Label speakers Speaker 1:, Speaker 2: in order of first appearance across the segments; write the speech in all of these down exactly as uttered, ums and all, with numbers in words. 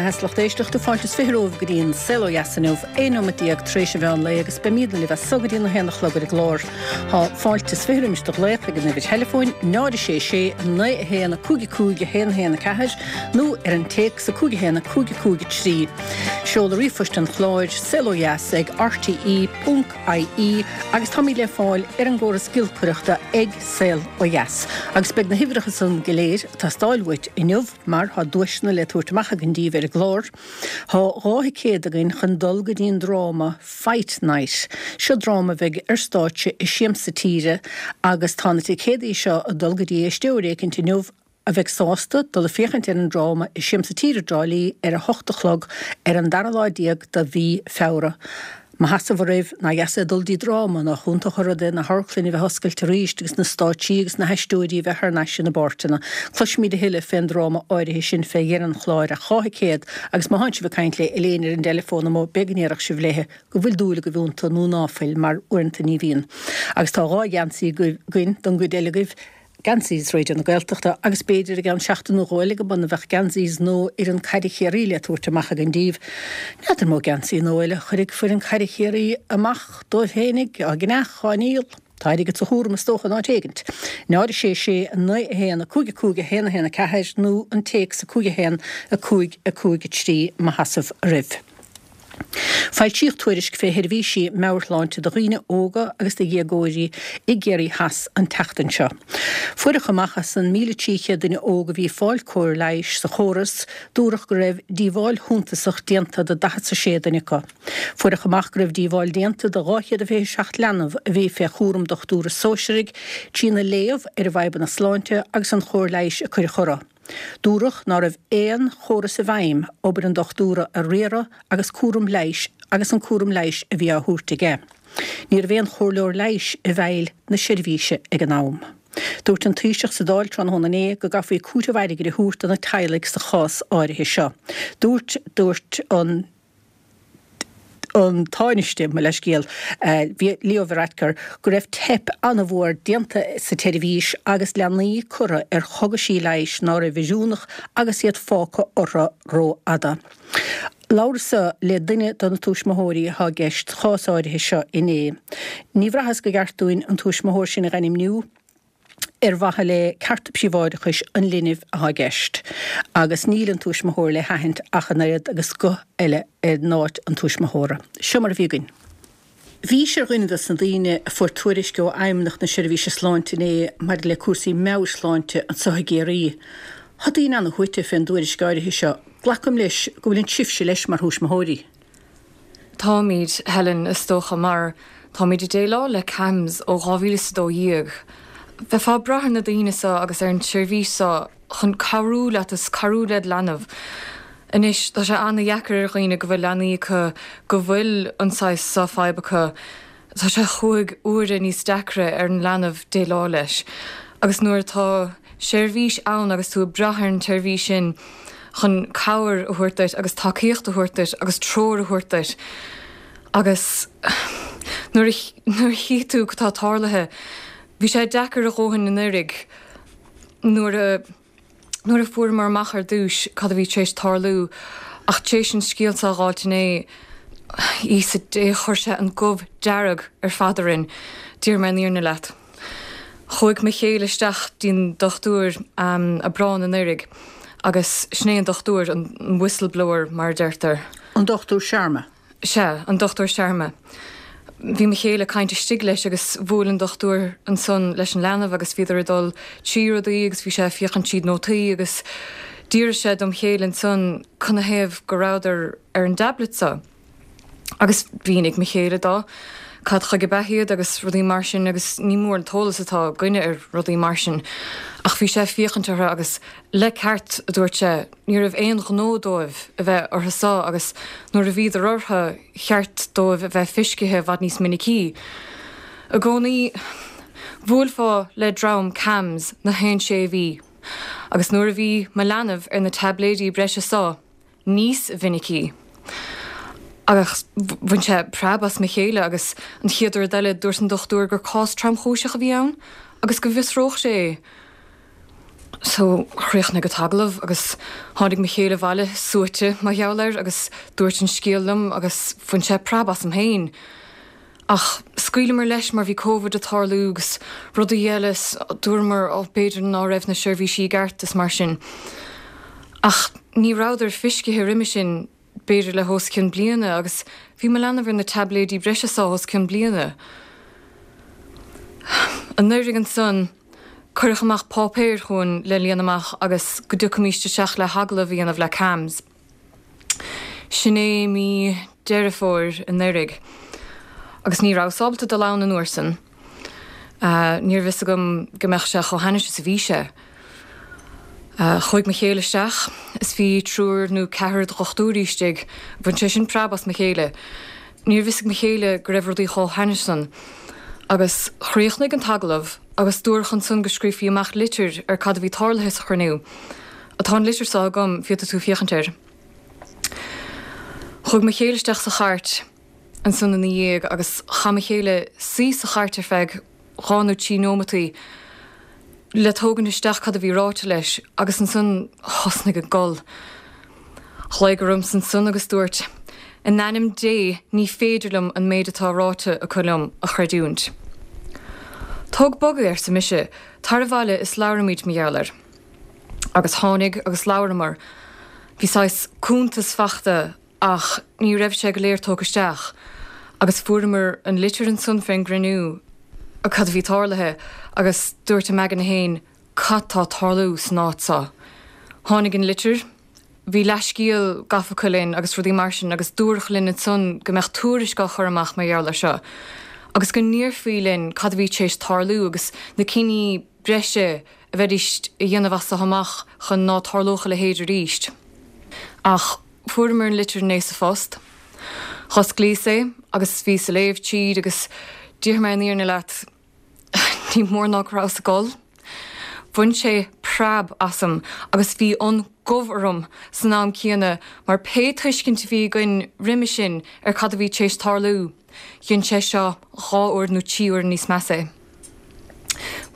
Speaker 1: Theas lucht éisteachta fáilte is fiche romhaibh go dtí an Saol Ó Dheas inniu, aon nóiméad déag tar éis an mheán lae agus beimidne libh as so go dtí a haon a chlog ar an gclár. Tá fáilte is fiche roimis do ghlaoch ag an uimhir theileafóin náid sé sé naoi a haon a cúig a cúig a haon a haon a ceathair nó ar an téacs a cúig a haon a cúig a cúig a trí. Seoladh ríomhphoist an chláir saol ó dheas ag RTE ponc IE agus táimid le fáil ar an gcóras giolcaireachta ag Saol Ó Dheas. Agus beidh na huimhreacha san go léir ag teastáil uait inniu mar tá duaiseanna le tabhairt amach againn díbh ar an gclár. Tá dhá thicéad againn chun dul go dtí an dráma Fight Night. Seo dráma a bheidh ar stáitse i Siamsa Tíre agus tá na ticéadaí seo ag dul go dtí éisteoir éicint inniu a bheidh sásta dul a féachaint ar an dráma i Siamsa Tíre i dTrá Lí ar a hocht a chlog ar an dara lá déag de mhí Feabhra. Mo sheasamh oraibh, nach dheas é dul dtí dráma, nach iontach an rud é na hamharclainn a bheith oscailte arís agus na stáitsí agus na haisteoirí a bheith thar n-ais ina bpáirteanna. Cloisfimid a thuilleadh fén dráma áirithe sin fé dheireadh an chláir ach dhá thicéad agus má thánn sibh ag caint le Elaine ar an dteileafón amuigh b'fhéidir go ndéarfadh sibh léithe go bhfuil dúil agaibh iontu nó ná fuil mar uaireanta ní bhíonn. Agus tá dhá gheansaí againn don gcuid eile agaibh. Geansaí Raidió na Gaeltachta agus b'fhéidir i gceann seachtain nó dhó eile go mbeadh geansaí nua fhoireann caide Chiarraí le tabhairt amach againn díbh. N'fheadar an mó geansaí nua eile a chuirfidh foireann caide Chiarraí amach dóibh féinig, á gceannach, á ndíol. Tá airgead sa chúram is dócha in áit éigint. Náid a sé sé a naoi a haon a cúig a cúig a haon a haon a ceathair nó an téacs a cúig a haon a cúig a cúig a trí mo sheasamh oraibh. Foilsíodh tuairisc fé sheirbhísí meabhairshláinte do dhaoine óga agus do dhéagóirí i gCiarraí Theas an tseachtain seo. Fuaireadh amach as an míle trí chéad duine óg a bhí ag fáil cóir leighis sa chóras, dúradh go raibh díobháil shuntasach déanta do daichead 's a sé duine acu. Fuaireadh amach go raibh díobháil déanta do dhá chéad a fiche seacht leanbh a bhí fé chúram dochtúra sóisearaigh trína léamh ar a bhfadhbanna sláinte agus an chóir leighis a cuireadh orthu. Dúradh ná raibh aon chóras i bhfeidhm obair an dochtúra a riaradh agus cúram leighis agus an cúram leighis a bhí á thabhairt aige. Ní raibh aon chomhairleoir leighis i bhfeighil na seirbhíse ag an am. Dúirt an Taoiseach sa Dáil tráthnóna inné go gcaithfí cúiteamh airgid a thabhairt do na teaghlaigh sa chás áirithe seo. Dúirt dúirt an an Tánaiste, mo leithscéal, Leo Varadkar, go raibh teip an-mhór déanta sa tseirbhís agus leanaí curtha ar chogaisí leighis ná raibh oiriúnach agus iad fágtha orthu rófhada. Labhras-sa le duine de na tuismitheoirí atá i gceist sa chás áirithe seo inné. Ní bhraitheas go gceart dúinn an tuismitheoir sin a ainmniú. ar mhaithe le cearta príobháideachais an linbh atá i gceist, agus níl an tuismitheoir le haithint ach an oiread agus guth eile in áit an tuismitheora. Seo mar a bhí againn. Bhís ar dhuine dos na daoine a fuair tuairisc ó Fheidhmeannacht na Seirbhíse Sláinte inné maidir le cúrsaí meabhairshláinte anseo i gCiarraí. Tá daoine ana-shuaite fén dtuairisc áirithe seo. Glacaim leis go bhfuileann sibhse leis mar thuismitheoirí.
Speaker 2: Táimid, Helen, is dócha, mar táimid ag déileáil le CAMHS ó dhá mhíle is a dó dhéag. Bheifeá ag brath ar na daoine seo agus ar an tseirbhís seo chun cabhrú leat is cabhrú led leanbh. Anois, tá sé ana-dheacair ar dhaoine go bhfuil leanaí acu go bhfuil an saghas seo fadhb acu. Tá sé chúig huaire níos deacra ar an leanbh déileáil leis. Agus nuair atá seirbhís ann agus tú ag brath ar an tseirbhís sin chun cabhair a thabhairt duit agus tacaíocht a thabhairt duit agus treoir a thabhairt duit agus nuair a chí tú cad tá tarlaithe, bhí sé deacair a dhóthain anuraidh nuair a nuair a fuaireamar amach ar dtús cad a bhí tar éis tarlú ach tar éis an scéal seo a dh'fháilt inné, Íosa Dé, chuir sé an gomh dearg ar fad orainn, déarfaidh mé an fhírinne leat. Chuaigh mo chéile isteach dtí'n dochtúir Aibreán anuraidh agus sin é an dochtúir, an whistleblower mar a deirtear.
Speaker 1: An Dochtúir Sharma.
Speaker 2: Sea, an Dochtúir Sharma. Bhí mo chéile ag caint istigh leis agus bhuail an dochtúir ansan leis an leanbh agus bhíodar ag dul trí rudaí agus bhí sé ag féachaint tríd nótaí agus d'fhiafraigh sé dom chéile ansan canathaobh go rabhadar ar an dtablet so. Agus mhínigh mo chéile dó cad chuige ab ea iad agus rudaí mar sin agus ní mór an t-eolas atá againne ar rudaí mar sin ach bhí sé ag féachaint orthu agus le ceart, a dúirt sé, ní raibh aon ghnó dóibh a bheith orthu so agus nuair a bhíodar orthu cheart dóibh a bheith fiscithe i bhfad níos minicí. I gcónaí bhuailfeá le dream CAMHS na haon sé mhí agus nuair a bhí mo leanbh ar na taibléidí breise so, níos mhinicí. Agus bhain sé preab as mo chéile agus an chéad rud eile dúirt an dochtúir gur cás tromchúiseach a bhí ann agus go bhfiosródh sé é. So chríochnaigh an t-agallamh agus tháinig mo chéile abhaile suaite mar gheall air agus dúirt an scéal liom agus bhain sé preab asam féin. Ach scaoileamar leis mar bhí Covid ag tarlú agus rudaí eile is dúramar ó b'fhéidir ná raibh na seirbhísí i gceart is mar sin. Ach ní rabhadar feiscithe roimhe sin b'fhéidir le hos cionn bliana agus bhí mo leanbh ar na taibléidí breise seo os cionn bliana. Anuraidh ansan cuireadh amach páipéir chugainn le líonadh amach agus go dtiocfaimis isteach le hagallamh a dhéanamh le CAMHS. Sin é mí Deireadh Fómhair anuraidh. Agus ní rabhas ábalta dul ann an uair san. Ní raibh fhios agam go mbeadh sé chomh hainnis is a bhí sé. Chuaigh mo chéile isteach is bhí triúr nó ceathrar dochtúirí istigh, bhain sé sin preab as mo chéile. Ní raibh fhios ag mo chéile go raibh rudaí chomh hainnis san. Agus chríochnaigh an t-agallamh agus dúradh ansan go scríofaí amach litir ar cad a bhí tarlaithe sa chruinniú. Tá an litir seo agam, féadfaidh tú féachaint air. Chuaigh mo chéile isteach sa chairt ansan ina dhiaidh agus chaith mo chéile suí sa chairt ar feadh dhá nó trí nóimeataí le tógaint isteach cad a bhí ráite leis agus ansan thosnaigh ag gol. Ghlaoigh ormsa ansan agus dúirt, In ainm Dé ní féidir liom an méid atá ráite acu liom a chreidiúint. Tóg bogadh, arsa mise, tar abhaile is labhraímid mar gheall air. Agus tháinig agus labhramar. Bhí saghas cuntas fachta ach ní raibh sé go léir tógtha isteach agus fuaireamar an litir ansan fén gcruinniú cad a bhí tarlaithe agus dúirt im aigne féin cad tá ag tarlú san áit seo. Tháinig an litir, bhí leithscéal gafa acu linn agus rudaí mar sin agus dúradh linn ansan go mbeadh tuairisc á chur amach mar gheall air seo agus go ndéarfaí linn cad a bhí tar éis tarlú agus na cinní breise a bheidís a dhéanamh as seo amach chun ná tarlódh a leithéid arís. Ach fuaireamar an litir inné sa phost. Dh'osclaíos é agus bhíos ag léamh tríd agus déarfaidh mé an fhírinne leat, ní mór ná go rabhas ag gol. Bhain sé preab asam agus bhí an gomh orm san am céanna mar pé tuiscint a bhí againn roimhe sin ar cad a bhí tar éis tarlú, dhein sé seo dhá uair nó trí huaire níos measa é.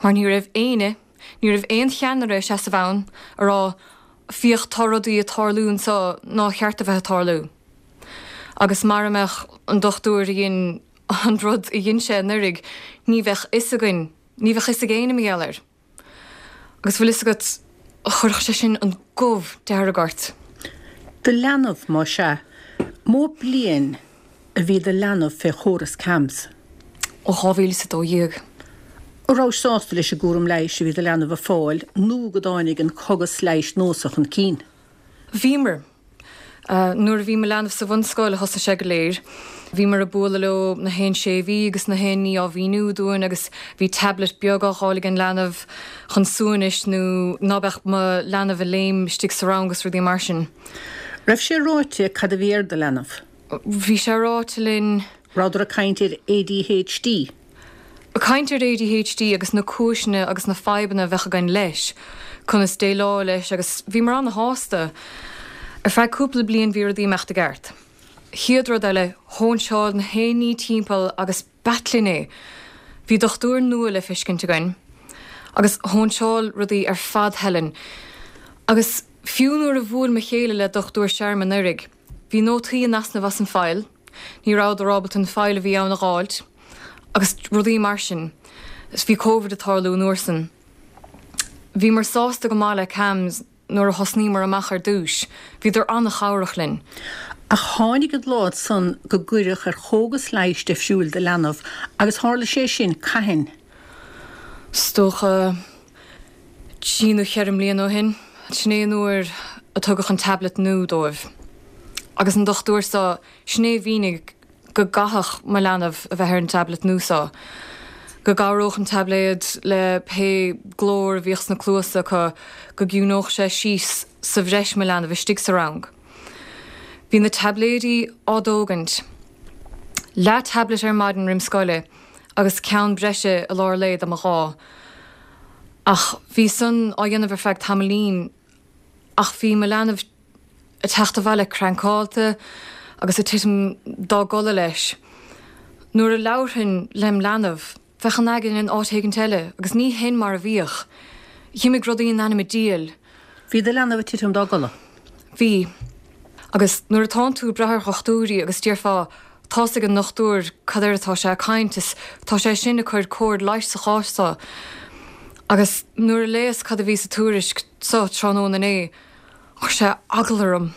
Speaker 2: Mar ní raibh éinne, ní raibh aon cheannaire ag seasamh ann a rá 'Féach tá rudaí ag tarlú anseo nár cheart a bheith ag tarlú'. Agus mara mbeadh an dochtúir a dhein an rud a dhein sé anuraidh, ní bheadh fhios againn, ní bheadh fhios ag éinne mar gheall air. Agus bhfuil fhios agat, chuirfeadh sé sin an gomh dearg ort.
Speaker 1: Do leanbh, más ea. Mó bliain a bhí do leanbh fé chóras CAMHS?
Speaker 2: Ó dhá mhíle is a dó dhéag.
Speaker 1: An rabhais sásta leis an gcúram leighis a bhí do leanbh a fáil nó go dtáinig an córas leighis nua seo chun cinn?
Speaker 2: Bhíomar. Nuair a bhí mo leanbh sa bhunscoil a thosaigh sé go léir. Bhíomar ag bualadh leo na haon sé mhí agus na haon ní á mhíniú dúinn agus bhí tablet beag á dh'fháil ag an leanbh chun suaimhnis nó ná beadh mo leanbh ag léim istigh sa rang agus rudaí mar sin.
Speaker 1: Raibh sé ráite cad a bhí ar do leanbh?
Speaker 2: Bhí sé ráite linn.
Speaker 1: Rabhadar ag caint ar ADHD?
Speaker 2: Ag caint ar ADHD agus na cúiseanna agus na fadhbanna a bheadh againn leis, conas déileáil leis agus bhíomar ana-shásta. Ar feadh cúpla bliain bhí rudaí ag imeacht i gceart. Chéad rud eile, shóinseáil na haon ní timpeall agus b'ait linn é. Bhí dochtúir nua le feiscint againn agus shóinseáil rudaí ar fad Helen. Agus fiú nuair a bhuail mo chéile le Dochtúir Sharma anuraidh, bhí nótaí in easnamh as an file, ní rabhadar ábalta an file a bhí ann a dh'fháilt agus rudaí mar sin. Is bhí Covid ag tarlú an uair san. Bhíomar sásta go maith le CAMHS nuair a thosnaíomar amach ar dtúis, bhíodar an-chabhrach linn.
Speaker 1: Ach tháinig an lá san go gcuireadh ar chógas leighis difriúil do leanbh agus tharla sé sin cathain?
Speaker 2: Is dócha trí nó cheithre mbliana ó shin. Sin é an uair a tugadh an tablet nua dóibh. Agus an dochtúir seo, sin é a mhínigh go gcaithfeadh mo leanbh a bheith ar an tablet nua seo, go gcabhródh an taibléad le pé glór a bhíodh sna cluasa acu, go gciúnódh sé síos sa bhreis mo leanbh istigh sa rang. Bhí na taibléidí á dtógaint. Leath tablet ar maidin roim scoile agus ceann breise i lár lae dá mba ghá. Ach bhí san á dhéanamh ar feadh tamaillín ach bhí mo leanbh ag teacht abhaile crankáilte agus ag titim dá gcodladh leis. Nuair a labharfainn lem leanbh, bheadh an aigne in áit éigint eile agus ní hin mar a bhíodh. Dh'imigh rudaí in ainm an diabhail.
Speaker 1: Bhí do leanbh ag titim dá gcodladh?
Speaker 2: Bhí. Agus nuair atánn tú ag brath ar dhochtúirí agus déarfá, tá's ag an ndochtúir cad air atá sé ag caint is tá sé sin ag cur cóir leighis sa chás seo. Agus nuair a léas cad a bhí sa tuairisc seo tráthnóna inné, chuir sé eagla orm.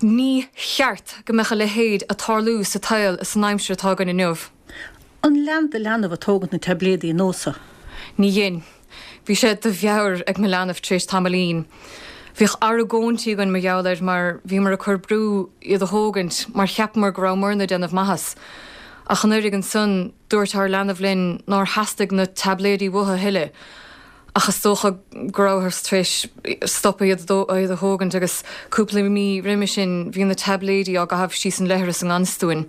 Speaker 2: Ní cheart go mbeadh a leithéid ag tarlú sa tsaol is san aimsir atá againn inniu.
Speaker 1: An lean do leanbh ag tógaint na taibléidí an nós seo?
Speaker 2: Ní dhein. Bhí sé de mheabhair ag mo leanbh tar éis tamaillín. Bhíodh argóintí againn mar gheall air mar bhíomar ag cur brú iad a thógaint mar cheapamar go rabhamarna ag déanamh maitheas. Ach anuraidh ansan dúirt ár leanbh linn nár theastaigh na taibléidí uathu a thuilleadh. Ach is dócha go rabhthas tar éis stopadh iad iad a thógaint agus cúpla mí roimhe sin bhí na taibléidí á gcaitheamh síos an leithreas i ngan fhios dúinn.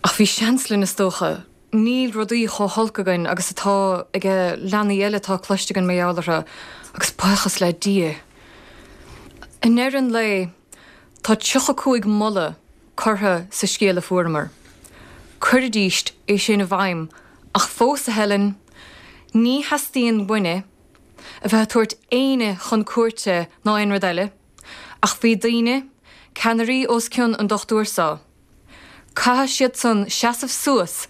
Speaker 2: Ach bhí seans linn is dócha. Níl rudaí chomh holc againn agus atá ag leanaí eile atá cloiste againn mar gheall orthu, agus buíochas le Dia. I ndeireadh an lae, tá tríocha cúig moladh curtha sa scéal a fuaireamar. Cuiridíst é sin i bhfeidhm, ach fós, a Helen, ní theastaíonn uainne a bheith ag tabhairt éinne chun cúirte ná aon rud eile, ach bhí daoine, ceannairí os cionn an dochtúir seo. Caithfidh siad san seasamh suas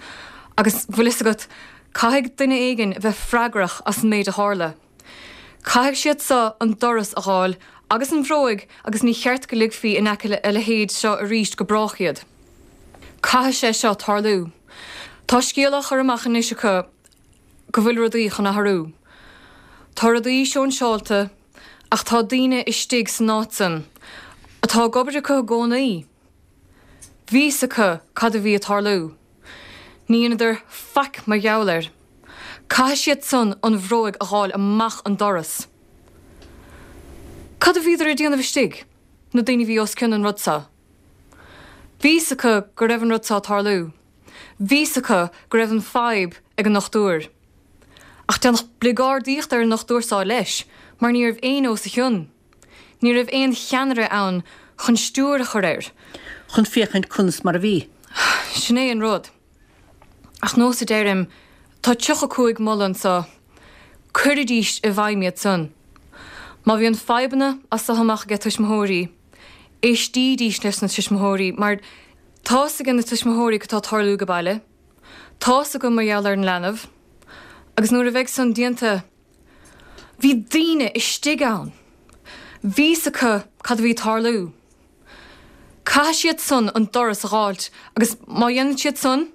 Speaker 2: agus, bhfuil fhios agat, caithfidh duine éigin a bheith freagrach as an méid a tharla. Caithfidh siad seo an doras a dh'fháil agus an bhróig agus ní cheart go ligfí in aice a leithéid seo arís go brách iad. Caithfidh sé seo tarlú. Tá scéal á chur amach anois acu go bhfuil rudaí chun athrú. Tá rudaí sóinseáilte ach tá daoine istigh san áit san atá ag obair acu i gcónaí. Bhí fhios acu cad a bhí ag tarlú. Ní dheineadar faic mar gheall air. Caithfidh siad san an bhróig a dh'fháil amach an doras. Cad a bhíodar ag déanamh istigh, na daoine a bhí os cionn an rud seo? Bhí fhios acu go raibh an rud seo ag tarlú. Bhí fhios acu go raibh an fadhb ag an ndochtúir. Ach déanadh bligeardaíocht ar an ndochtúir seo leis, mar ní raibh éinne os a chionn. Ní raibh aon cheannaire ann chun stiúir a chur air.
Speaker 1: Chun féachaint conas mar a bhí.
Speaker 2: Sin é an rud. Ach nós a deirim, tá tríocha cúig moladh anseo, cuiridís i bhfeidhm iad san. Má bhíonn fadhbanna as so amach aige tuismitheoirí, éistídís leis na tuismitheoirí mar tá's aige na tuismitheoirí cad tá ag tarlú age baile, tá's acu mar gheall ar an leanbh, agus nuair a bheidh san déanta, bhí daoine istigh ann. Bhí fhios acu cad a bhí ag tarlú. Caithfidh siad san an doras a dh'fháilt agus má dhéanann siad san,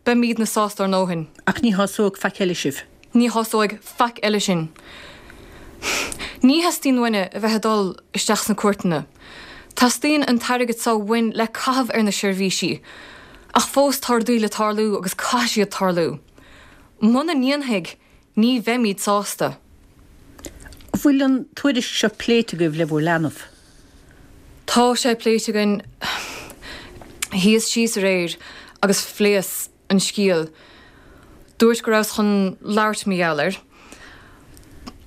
Speaker 2: beimídne sásta ár ndóthain.
Speaker 1: Ach ní shásóidh faic eile sibh.
Speaker 2: Ní shásóidh faic eile sinn. Ní theastaíonn uainne a bheith ag dul isteach sna cúirteanna. Teastaíonn an t-airgead so uainn le caitheamh ar na seirbhísí. Ach fós tá rudaí le tarlú agus caithfidh siad tarlú. Muna ndéanfaidh, ní bheimíd sásta.
Speaker 1: An bhfuil an tuairisc seo pléite agaibh le bhur leanbh?
Speaker 2: Tá sé pléite againn. Shuíos síos aréir agus phléas an scéal. Dúirt go rabhas chun labhairt mar gheall air.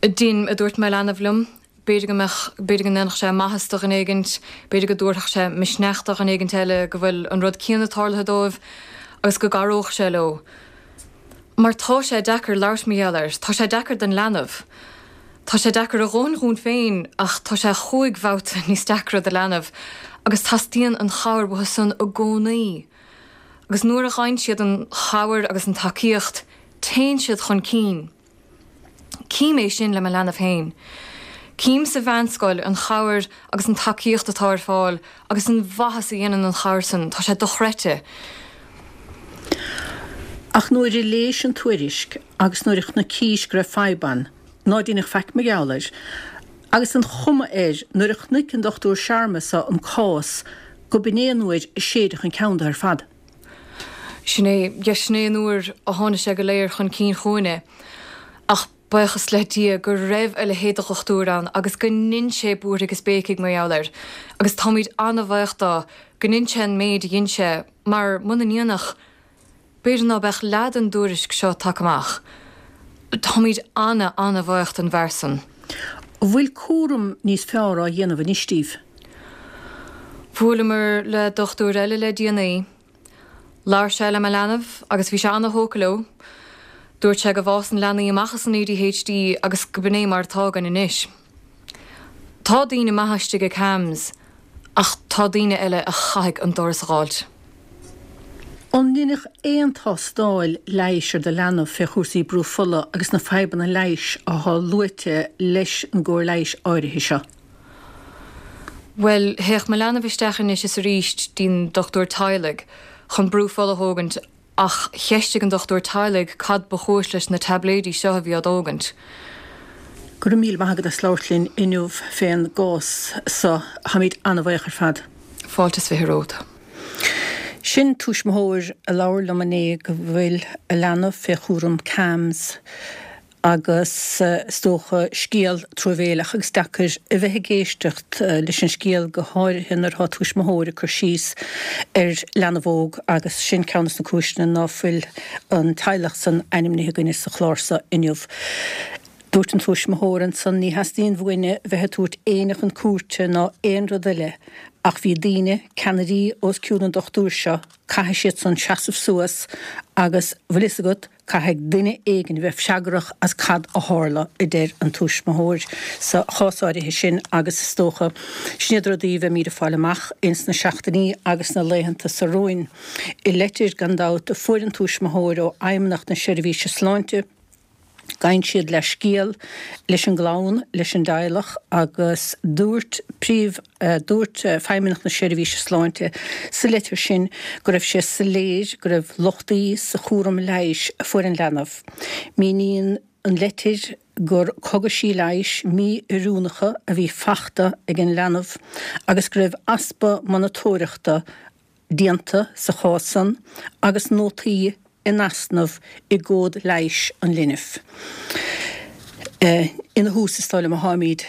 Speaker 2: Dein, a dúirt mo leanbh liom, b'fhéidir go mbeadh, b'fhéidir go ndéanfadh sé maitheas do dhuine éigint, b'fhéidir go dtabharfadh sé misneach do dhuine éigint eile go bhfuil an rud céanna tarlaithe dóibh agus go gcabhródh sé leo. Mar tá sé deacair labhairt mar gheall air, tá sé deacair don leanbh. Tá sé deacair a dhóthain dhúinn féin ach tá sé chúig bhabhta níos deacra do leanbh agus teastaíonn an chabhair uathu san i gcónaí. Agus nuair a fhaigheann siad an chabhair agus an tacaíocht, téann siad chun cinn. Cím é sin le mo leanbh féin. Cím sa mheánscoil an chabhair agus an tacaíocht atá ar fáil agus an mhaitheas a dhéanann an chabhair san, tá sé dochreidte.
Speaker 1: Ach nuair a léis an tuairisc agus nuair a chnoicís go raibh fadhb ann, ná deineadh faic mar gheall air, agus an chuma air nuair a chnoic an Dochtúir Sharma so an cás go b'in é an uair a séideadh an ceann de ar fad.
Speaker 2: Sin é, yes, sin é an uair a tháinig sé go léir chun cinn chugainne. Ach buíochas le Dia go raibh a leithéid de dhochtúir ann agus go ndein sé buartha agus béicigh mar gheall air. Agus táimid an-bhaoch dó go ndein sé an méid a dhein sé mar muna ndéanfadh, b'fhéidir ná beadh leath den dtuairisc seo tagtha amach. Táimid ana, ana-bhaoch den bhfear san.
Speaker 1: An bhfuil cúram níos fearr á dhéanamh anois díbh?
Speaker 2: Bhuaileamar le dochtúir eile le déanaí. Labhair sé le mo leanbh agus bhí sé ana-thógtha leo. Dúirt sé go bhfásann leanaí amach as an A D H D agus go b'in é mar atá againn anois. Tá daoine maithe istigh i CAMHS, ach tá daoine eile a chaithfidh an doras a fhágáilt.
Speaker 1: An ndeineadh aon tástáil leighis ar do leanbh fé chúrsaí brú fola agus na fadhbanna leighis atá luaite leis an gcóir leighis áirithe seo?
Speaker 2: Well, théadh mo leanbh isteach anois is arís dtí'n dochtúir teaghlaigh chun brú fola a thógaint, ach cheistigh an dochtúir teaghlaigh cad ba chúis leis na taibléidí seo a bhí á dtógaint.
Speaker 1: Go raibh míle maith agat as labhairt linn inniu fén gcás so. Táimid an-bhuíoch ar fad.
Speaker 2: Fáilte is fiche romhat.
Speaker 1: Sin tuismitheoir a labhair liom inné go bhfuil a leanbh fé chúram CAMHS agus is dócha scéal truamhéileach agus deacair a bheith ag éisteacht leis an scéal, go háirithe nuair atá tuismitheoir ag cur síos ar leanbh óg, agus sin ceann de na cúiseanna ná fuil an teaghlach san ainmnithe againne sa chlár seo inniu. Dúirt an tuismitheoir ansan, ní theastaíonn uainne bheith ag tabhairt éinne chun cúirte ná aon rud eile, ach bhí daoine, ceannairí os cionn an dochtúir seo, caithfidh siad san seasamh suas agus, bhfuil fhios agat, caithfidh duine éigin bheith freagrach as cad a tharla, a deir an tuismitheoir sa chás áirithe sin. Agus is dócha, sin iad rudaí a bheimid ag fáil amach ins na seachtainí agus na laethanta seo romhainn. I leitir, gan dabht, a fuair an tuismitheoir ó Fheidhmeannacht na Seirbhíse Sláinte, gabhann siad leithscéal leis an gclann, leis an dteaghlach, agus dúirt príomh dúirt Feidhmeannacht na Seirbhíse Sláinte sa leitir sin go raibh sé soiléir go raibh lochtaí sa chúram leighis a fuair an leanbh. Míníonn an leitir gur cogaisí leighis mí-oiriúnacha a bhí fachta ag an leanbh agus go raibh easpa monatóireachta déanta sa chás san agus nótaí in easnamh i gcomhad leighis an linbh. Ina thús, is dóigh liom, a tháimid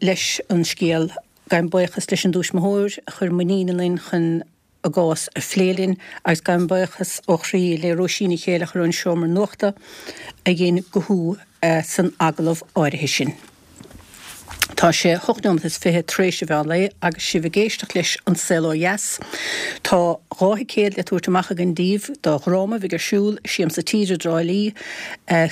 Speaker 1: leis an scéal. Gabhaim buíochas leis an dtuismitheoir a chuir muinín ionainn chun a gcás a phlé linn agus gabhaim buíochas ó chroí le Róisín Ní Chéilleachair ón Seomra Nuachta a dhein guthú san agallamh áirithe sin. Tá sé hocht nóiméad is fiche tar éis an mheán lae agus sibh ag éisteacht leis An Saol Ó Dheas. Tá dhá thicéad le tabhairt amach againn daoibh do dhráma a bheidh ar siúl i Siamsa Tíre i dTrá Lí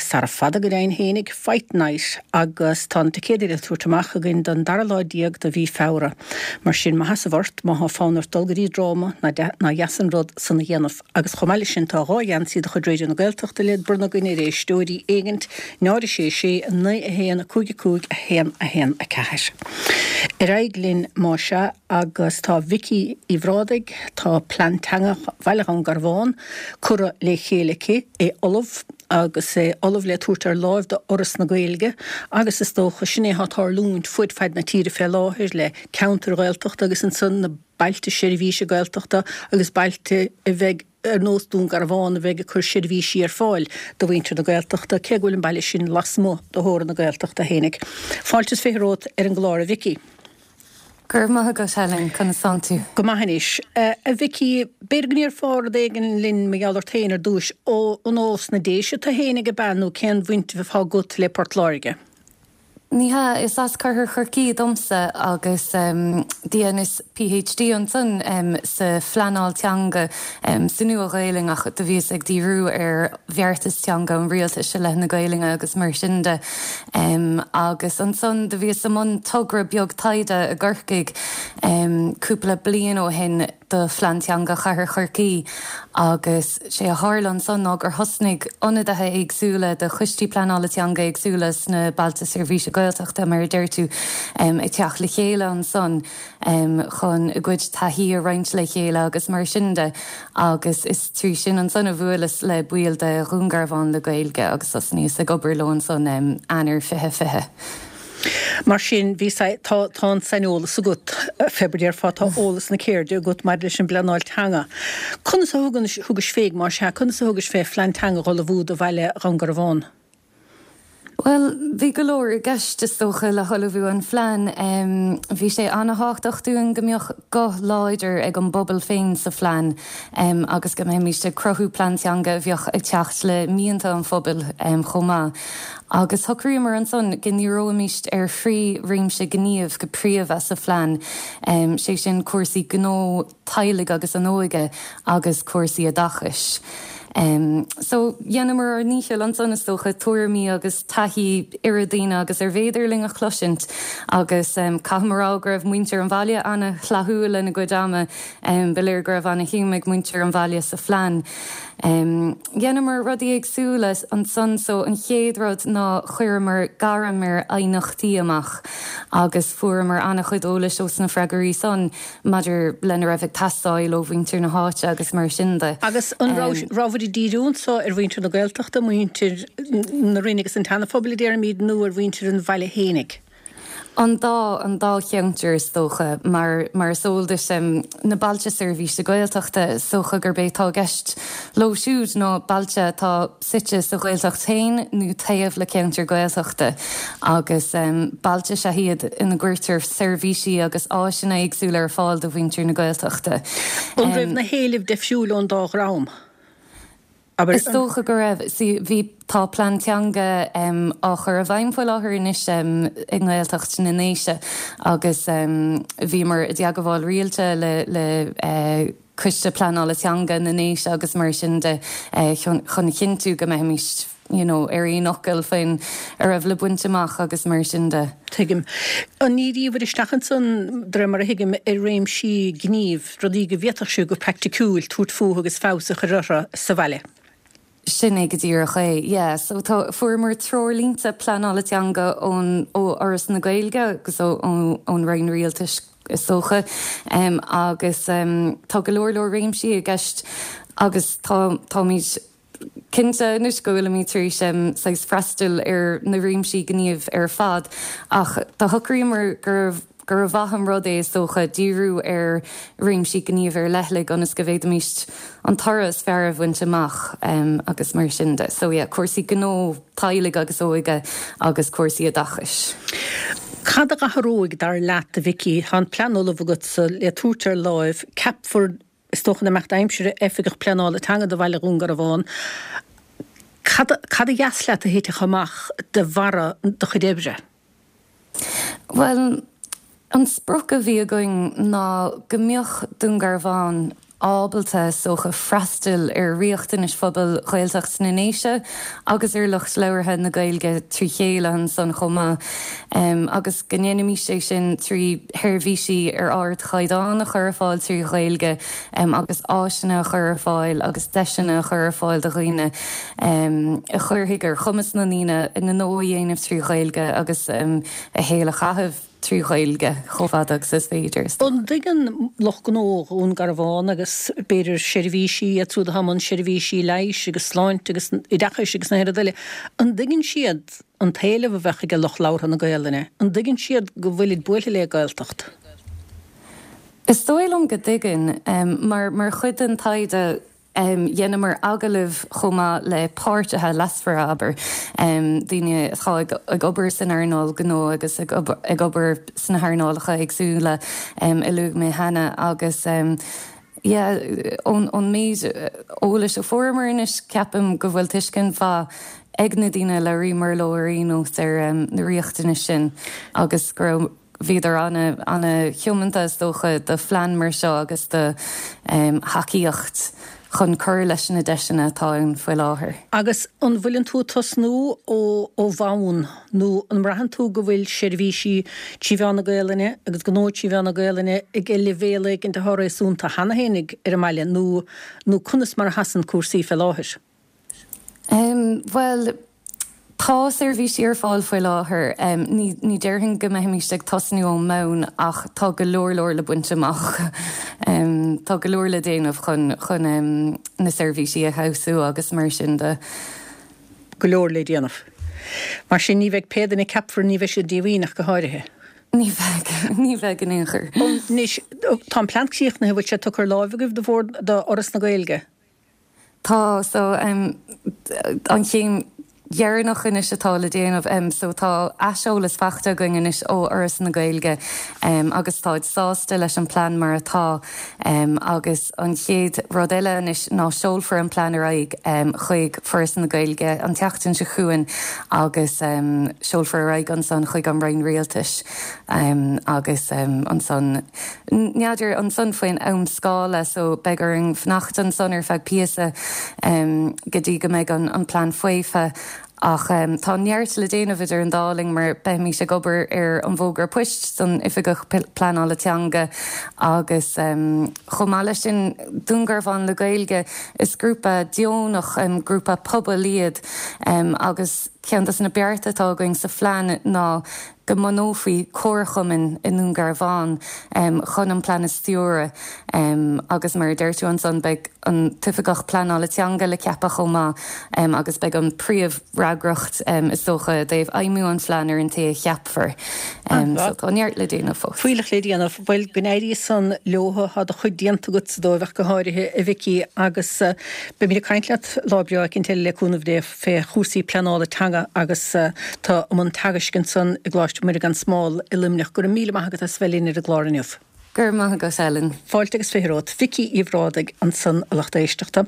Speaker 1: sara fada go deimhin fhéinig, Fight Night, agus tá na ticéadaí le tabhairt amach againn don dara lá déag de mhí Feabhra. Mar sin, má sheasamh ort, má thá fonn ort dul go dtí dráma, ná deas an rud san a dhéanamh. Agus chomh maith leis sin tá dhá gheansaí de chuid Raidió na Gaeltachta le bronnadh againn ar éisteoirí éigint, náid a sé sé, naoi a haon, cúig a cúig, a haon a haon a ceathair. Ar aghaidh linn más ea agus tá Vicky Uí Bhrádaigh, tá plean teanga Bhaile Dhún Garbhán curtha le chéile aici, é ullamh agus é ullamh le tabhairt ar láimh do Fhoras na Gaeilge, agus is dócha sin é atá ag tarlúint fud fad na tíre fé láthair le ceantair Ghaeltachta agus ansan na bailte seirbhíse Gaeltachta agus bailte a bheidh ar nós Dún Garbhán a bheidh ag cur seirbhísí ar fáil do mhuintir na Gaeltachta, cé go bhfuil an baile sin lasmuigh de theorainn na Gaeltachta fhéinig. Fáilte is fiche romhat ar an gclár, a Vicky.
Speaker 3: Go raibh maith agat, Helen, conas tánn tú?
Speaker 1: Go maith anois. A Vicky, b'fhéidir go ndéarfá rud éigin linn mar gheall ort féin ar dtúis. Ó, an ós na Déise tú fhéinig ab ea nó cén bhaint atá agat le Port Láirge?
Speaker 3: Ní hea, is as Cathair Chorcaí domsa agus dheineas P H D ansan sa phleanáil teanga sa Nua-Ghaelainn, ach do bhíos ag díriú ar bheartas teanga an rialtais i leith na Gaelainne agus mar sin de. Agus ansan do bhíos i mbun togra beag taighde i gCorcaigh cúpla bliain ó shin do phlean teanga Chathair Chorcaí, agus sé a tharla ansan ná gur thosnaigh ionadaithe éagsúla de choistí pleanála teanga éagsúla sna bailte seirbhíse Gaeltachta, mar a deir tú, ag teacht le chéile ansan chun a gcuid taithí a roinnt le chéile agus mar sin de, agus is trí sin ansan a bhuaileas le baill de Dhún Garbhán le Gaeilge agus thosnaíos ag obair leo ansan Eanáir fiche fiche.
Speaker 1: Mar sin, bhí tá tá an saineolas agat, fé mar a déarfá, tá eolas na ceirde agat maidir leis an bpleanáil teanga. Conas a thugais fé, más ea, conas a thugais fé phlean teanga a ullmhú do bhaile Dhún Garbhán?
Speaker 3: Bhuel, bhí go leor i gceist, is dócha, le hullmhú an phlean. Bhí sé an-tábhachtach dúinn go mbeadh guth láidir ag an bpobal féin sa phlean agus go mbeimis ag cruthú plean teanga a bheadh ag teacht le mianta an phobail chomh maith. Agus shocraíomar ansan go ndíreoimis ar thrí réimse gníomh go príomha sa phlean, sé sin cúrsaí gnó, teaghlaigh agus an óige agus cúrsaí oideachais. Um, so dheineamar ár ndícheall ansan is dócha tuairimí agus taithí oiread daoine agus arbh fhéidir linn a chloisint agus um, caithfidh mé a rá go raibh muintir an bhaile an-fhlaithiúil lena gcuid ama um, ba léir go raibh an-shuim ag muintir an bhaile sa phlean. Um, Dheineamar rudaí éagsúla ansan so an chéad rud ná chuireamar gairm ar aighneachtaí amach agus fuaireamar an-chuid eolais ó sna freagraí san maidir lena raibh ag teastáil ó mhuintir na háite agus mar sin de.
Speaker 1: Agus an raibh ag díriú anso ar mhuintir na Gaeltachta, muintir na Rinne agus an tSeana-Phobail a déarfaimid nó ar mhuintir an bhaile fhéinig?
Speaker 3: An dá an dá cheantar is dócha mar mar is eol duit um, na bailte seirbhíse Gaeltachta is dócha gurb é atá i gceist leo siúd ná bailte atá suite sa Ghaeltacht féin nó taobh le ceantar Gaeltachta agus um, bailte is ea iad ina gcuirtear seirbhísí agus áiseanna éagsúla ar fáil do mhuintir na Gaeltachta.
Speaker 1: An raibh na héilimh difriúil ón dá dhream?
Speaker 3: Abair, Is dócha go raibh bhí tá plean teanga um, á chur i bhfeidhm faoi láthair anois um, i nGaeltacht na nDéise agus um, bhíomar i dteagmháil rialta le, le uh, coiste pleanála teanga na nDéise agus mar sin de uh, chun, chun cinntiú go mbeimid you know, ar aon fhocal faoin a raibh le baint amach agus mar sin de.
Speaker 1: Tuigim. An ndíríobhair isteach ansan de réir mar a thuigim ar réimsí gnímh, rudaí go bhféadfadh sibh go praiticiúil tabhairt fúthu agus feabhas a chur orthu sa bhaile.
Speaker 3: Sin é go díreach é. Yeah, so tá fuaireamar treoirlínte pleanála teanga ón ó Fhoras na Gaeilge agus ón Roinn Rialtais is dócha um, agus um, tá go leor leor réimsí i gceist agus tá táimid cinnte anois go bhfuilimid tar éis um, saghas freastal ar na réimsí gnímh ar fad ach tá shocraíomar gur gur mhaith an rud é is dócha díriú ar réimsí gnímh ar leithligh ionas go bhféadfaimis an toradh is fearr a bhaint amach um, agus mar sin de. So yeah, cúrsaí gnó teaghlaigh agus óige agus cúrsaí oideachais.
Speaker 1: Cad a athróidh dar leat a Vicky tá an plean ullamh agat sa le tabhairt ar láimh ceapfar is dócha in imeacht aimsire oifigeach pleanála teanga do bhaile Dhún Garbhán. Cad cad a dheas leat a thitfeadh amach de bharra do chuid oibre?
Speaker 3: Well, an sprioc a bhí againn ná go mbeadh Dún Garbhán ábalta is dócha freastal ar riachtanais phobal Ghaeltacht na nDéise agus ar lucht labhartha na Gaeilge trí chéile ansan chomh maith um, agus go ndéanfaimis é sin trí sheirbhísí ar ardchaighdeán a chur ar fáil trí Ghaeilge um, agus áiseanna a chur ar fáil agus deiseanna a chur ar fáil do dhaoine um, a chuirfidh ar chumas na ndaoine a ngnó a dhéanamh trí Ghaeilge agus um, a shaol a chaitheamh trí Ghaeilge chomh fada agus is féidir.
Speaker 1: An dtuigeann lucht gnó Dhún Garbhán agus b'fhéidir seirbhísí a thamann seirbhísí leighis agus sláinte agus oideachais agus na rudaí eile. An dtuigeann siad an t-éileamh a bheadh ag lucht labhartha na Gaelainne, an dtuigeann siad go bhfuilid buailte le Gaeltacht.
Speaker 3: Is dóigh liom go dtuigeann um, mar mar chuid den taighde um, dheineamar agallamh chomh maith le páirtithe leasmhara abair um, daoine atá ag, ag obair san earnáil gnó agus ag obair, ag obair sna hearnálacha éagsúla um, a luaigh mé cheana agus um, yeah, ón, ón méid eolais a fuaireamar anois ceapaim go bhfuil tuiscint mhaith ag na daoine a labhraíomar leo ar aon nós ar um, na riachtanais sin agus go raibh bhíodar an- an-tiomanta is dócha do phlean mar seo agus do um, thacaíocht chun cur leis na deiseanna atá ann faoi láthair.
Speaker 1: Agus an bhfuileann tú ag tosnú ó ó bhonn nó an mbraitheann tú go bhfuil seirbhísí trí mheán na Gaelainne agus gnó trí mheán na Gaelainne ag leibhéal éigin atá réasúnta cheana féinig ar an mbaile nó nó conas mar a sheasann cúrsaí faoi láthair.
Speaker 3: Um, well, Tá seirbhísí ar fáil faoi láthair um, ní, ní déarfainn go mbeimis ag tosnú ón mbonn ach tá go leor leor le baint amach. Um, tá go leor le déanamh chun chun um, na seirbhísí a fheabhsú agus mar sin de.
Speaker 1: Go leor le déanamh. Mar sin ní bheidh pé duine a ceapfar ní bheidh siad díomhaoin ach go háirithe.
Speaker 3: Ní bheidh ní bheidh in aon chor.
Speaker 1: Anois tá an plean críochnaithe bhfuil sé tugtha ar láimh agaibh do bhord do Fhoras na Gaeilge.
Speaker 3: Tá so um, an chéim dheireanach anois atá le déanamh so tá aiseolas faighte againn anois ó Fhoras na Gaeilge agus táid sásta leis an plean mar atá agus an chéad rud eile anois ná seolfar an plean ar aghaidh chuig Foras na Gaeilge an tseachtain seo chugainn agus seolfar ar aghaidh ansan chuig an Roinn Rialtais agus ansan n'fheadar ansan faoin am scála so beidh orainn fanacht ansan ar feadh píosa go dtí go mbeidh an an plean faofa ach um, tá neart le déanamh idir an dá linn mar beimid ag obair ar an bhfógra poist don oifigeach pleanála teanga agus um, chomh maith leis sin Dún Garbhán le Gaeilge is grúpa deonach um, grúpa pobail iad um, agus ceann de na bearta atá againn sa phlean ná go mbunófaí comharchumann i nDún Garbhán um, chun an plean a stiúradh um, agus mar a deir tú ansan beidh an t-oifigeach pleanála teanga le ceapadh chomh maith um, agus beidh an príomhfhreagracht um, is dócha i dtaobh fheidhmiú an phlean ar an té a cheapfar. Um, so tá neart le déanamh fós.
Speaker 1: Fuílleach le déanamh bhuel go n-éirí san leo tá do chuid déanta agat sa dóibh go háirithe a Mhicí agus uh, beimid ag caint leat lá breá éicint eile le cúnamh Dé fé chúrsaí pleanála teanga agus uh, tá um an teagasc ansan i gColáiste Muire gan Smál i Luimneach go raibh míle maith agat as bheith linn ar an gclár inniu.
Speaker 3: Gur maith go Ellen.
Speaker 1: Fáilte agus fiche romhat Vicí Uí Bhrádaigh ansan a lucht éisteachta.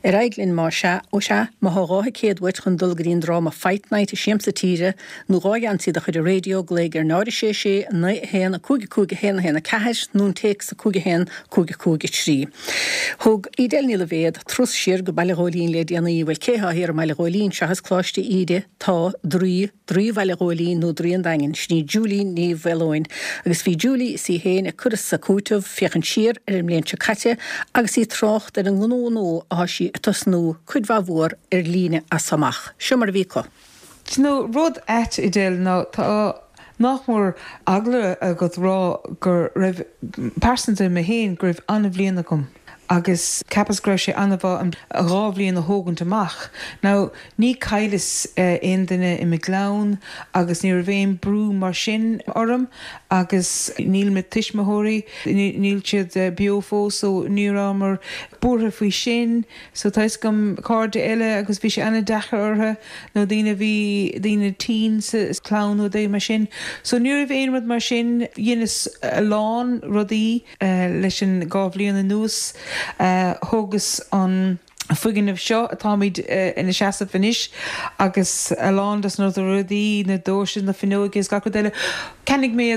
Speaker 1: Ar aghaidh linn má sea ó sea má thá dhá thicéad uait chun dul go dtí an dráma Fight Night i Siamsa Tíre nó dhá gheansaí de chuid an raidió glaoigh ar náid sé sé naoi a haon a cúig a cúig a haon a haon a ceathair nó an téacs a cúig a haon cúig a cúig a trí. Thug Edel Ní Loibhéad turas siar go Baile Ghóilín le déanaí bhuel cé thá thiar i mBaile Ghóilín seachas Coláiste Íde tá draoi draoi Bhaile Ghóilín nó draoi an Daingin sin í Julie Ní Mhaoileoin agus bhí Julie is í féin ag cur as a cúiteamh féachaint siar ar an mbliain seo caite agus í ag trácht ar an ngnó nua atá sí ag tosnú cuid mhaith mhór ar líne as amach. Seo mar a bhí acu.
Speaker 4: Do you know, rud ait Edel ná tá nach mór eagla agat rá go raibh pearsanta mé féin go raibh an-bhliain agam. agus cheapas go raibh sé an-mhaith an dhá bhliain a thógaint amach. Now ní chailleas uh, aon duine i mo chlann agus ní raibh aon brú mar sin orm agus níl mo thuismitheoirí níl siad uh, beo fós so ní rabhamar buartha faoi sin, so tá gom cairde eile agus bhí sé an-deacair orthu nó daoine bhí daoine tinn sa chlann nó dé mar sin. So ní raibh aon rud mar sin dheineas a lán rudaí uh, leis an dhá bhliain anuas. Uh, thógas an foirgneamh seo atáimid uh, ina seasamh anois agus a lán des na rudaí na doirse na fuinneoga is gach rud eile. Cheannaigh mé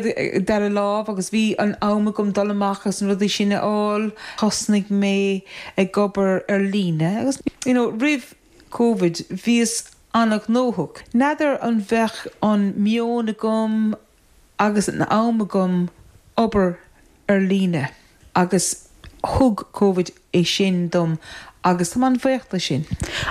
Speaker 4: dara lámh agus bhí an am agam dul amach agus an rudaí sin a fháil, thosnaigh mé ag obair ar líne agus you know, roimh COVID bhíos an-ghnóthach. N'fheadar an bheadh an meon agam agus an am agam obair ar líne agus thug COVID é sin dom agus tá an-bhuíoch de sin.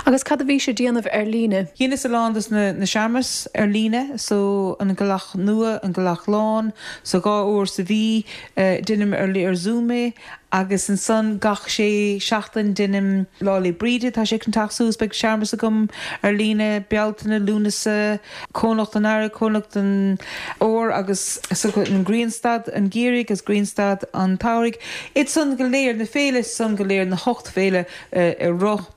Speaker 5: Agus cad a bhí sibh ag déanamh ar líne?
Speaker 4: Dheineas a lán des na, na searmanais ar líne, so an Gealach Nua, an Gealach Lán, so dhá uair sa mhí uh, deinim ar ar Zoom é, agus ansan gach sé seachtain deinim Lá 'le Bríde tá sé chun teacht suas beidh searmanas agam ar líne Bealtaine Lúnasa Cónocht an Earraigh Cónocht an Fhómhair agus an Grianstad an Gheimhridh agus Grianstad an tsamhraidh. Iad san go léir na féile san go léir na hocht féile uh, ar rith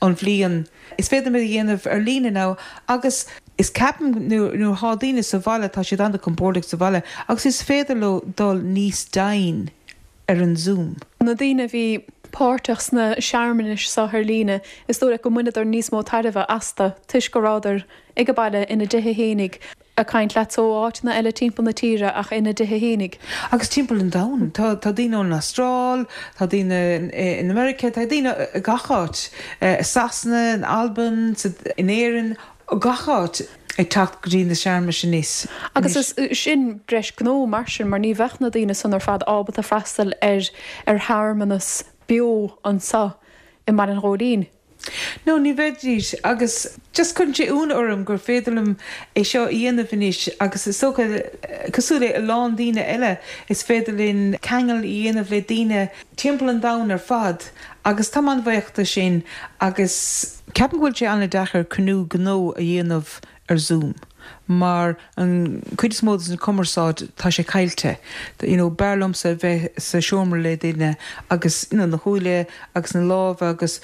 Speaker 4: an bhliain. Is féidir a dhéanamh ar líne now agus is ceapaim nuair atá daoine sa bhaile tá siad an-chompordach sa bhaile agus is féidir leo dul níos doimhne ar an Zoom.
Speaker 5: Na daoine a bhí páirteach sna searmanais seo ar líne, is dóigh go mbaineadar níos mó tairbhe astu toisc go rabhadar ag baile ina dtithe fhéinig ag caint leat ó áiteanna eile timpeall na tíre ach ina dtithe fhéinig.
Speaker 4: Agus timpeall an domhain Tá tá daoine ón Astráil, tá daoine in America, tá daoine gach áit Sasana, in Albain, in Éirinn, gach áit ag teacht go dtí na searmanais anois.
Speaker 5: Agus is sin breis gnó mar sin mar ní bheadh na daoine san ar fad ábalta freastal ar ar shearmanas beo anseo i mBaile an Ghóilín.
Speaker 4: No ní bheidís agus just cuireann sé ionadh orm gur féidir liom é seo a dhéanamh anois agus is dócha cosúil le a lán daoine eile is féidir linn ceangal a dhéanamh le daoine timpeall an domhain ar fad agus tá an-bhuíoch de sin agus Ceapaim go bhfuil sé an-deacair cruinniú gnó a dhéanamh ar Zoom mar an cuid is mó den cumarsáid tá sé caillte. You know, b'fhearr liomsa bheith sa seomra le duine agus you know, na súile agus na lámha agus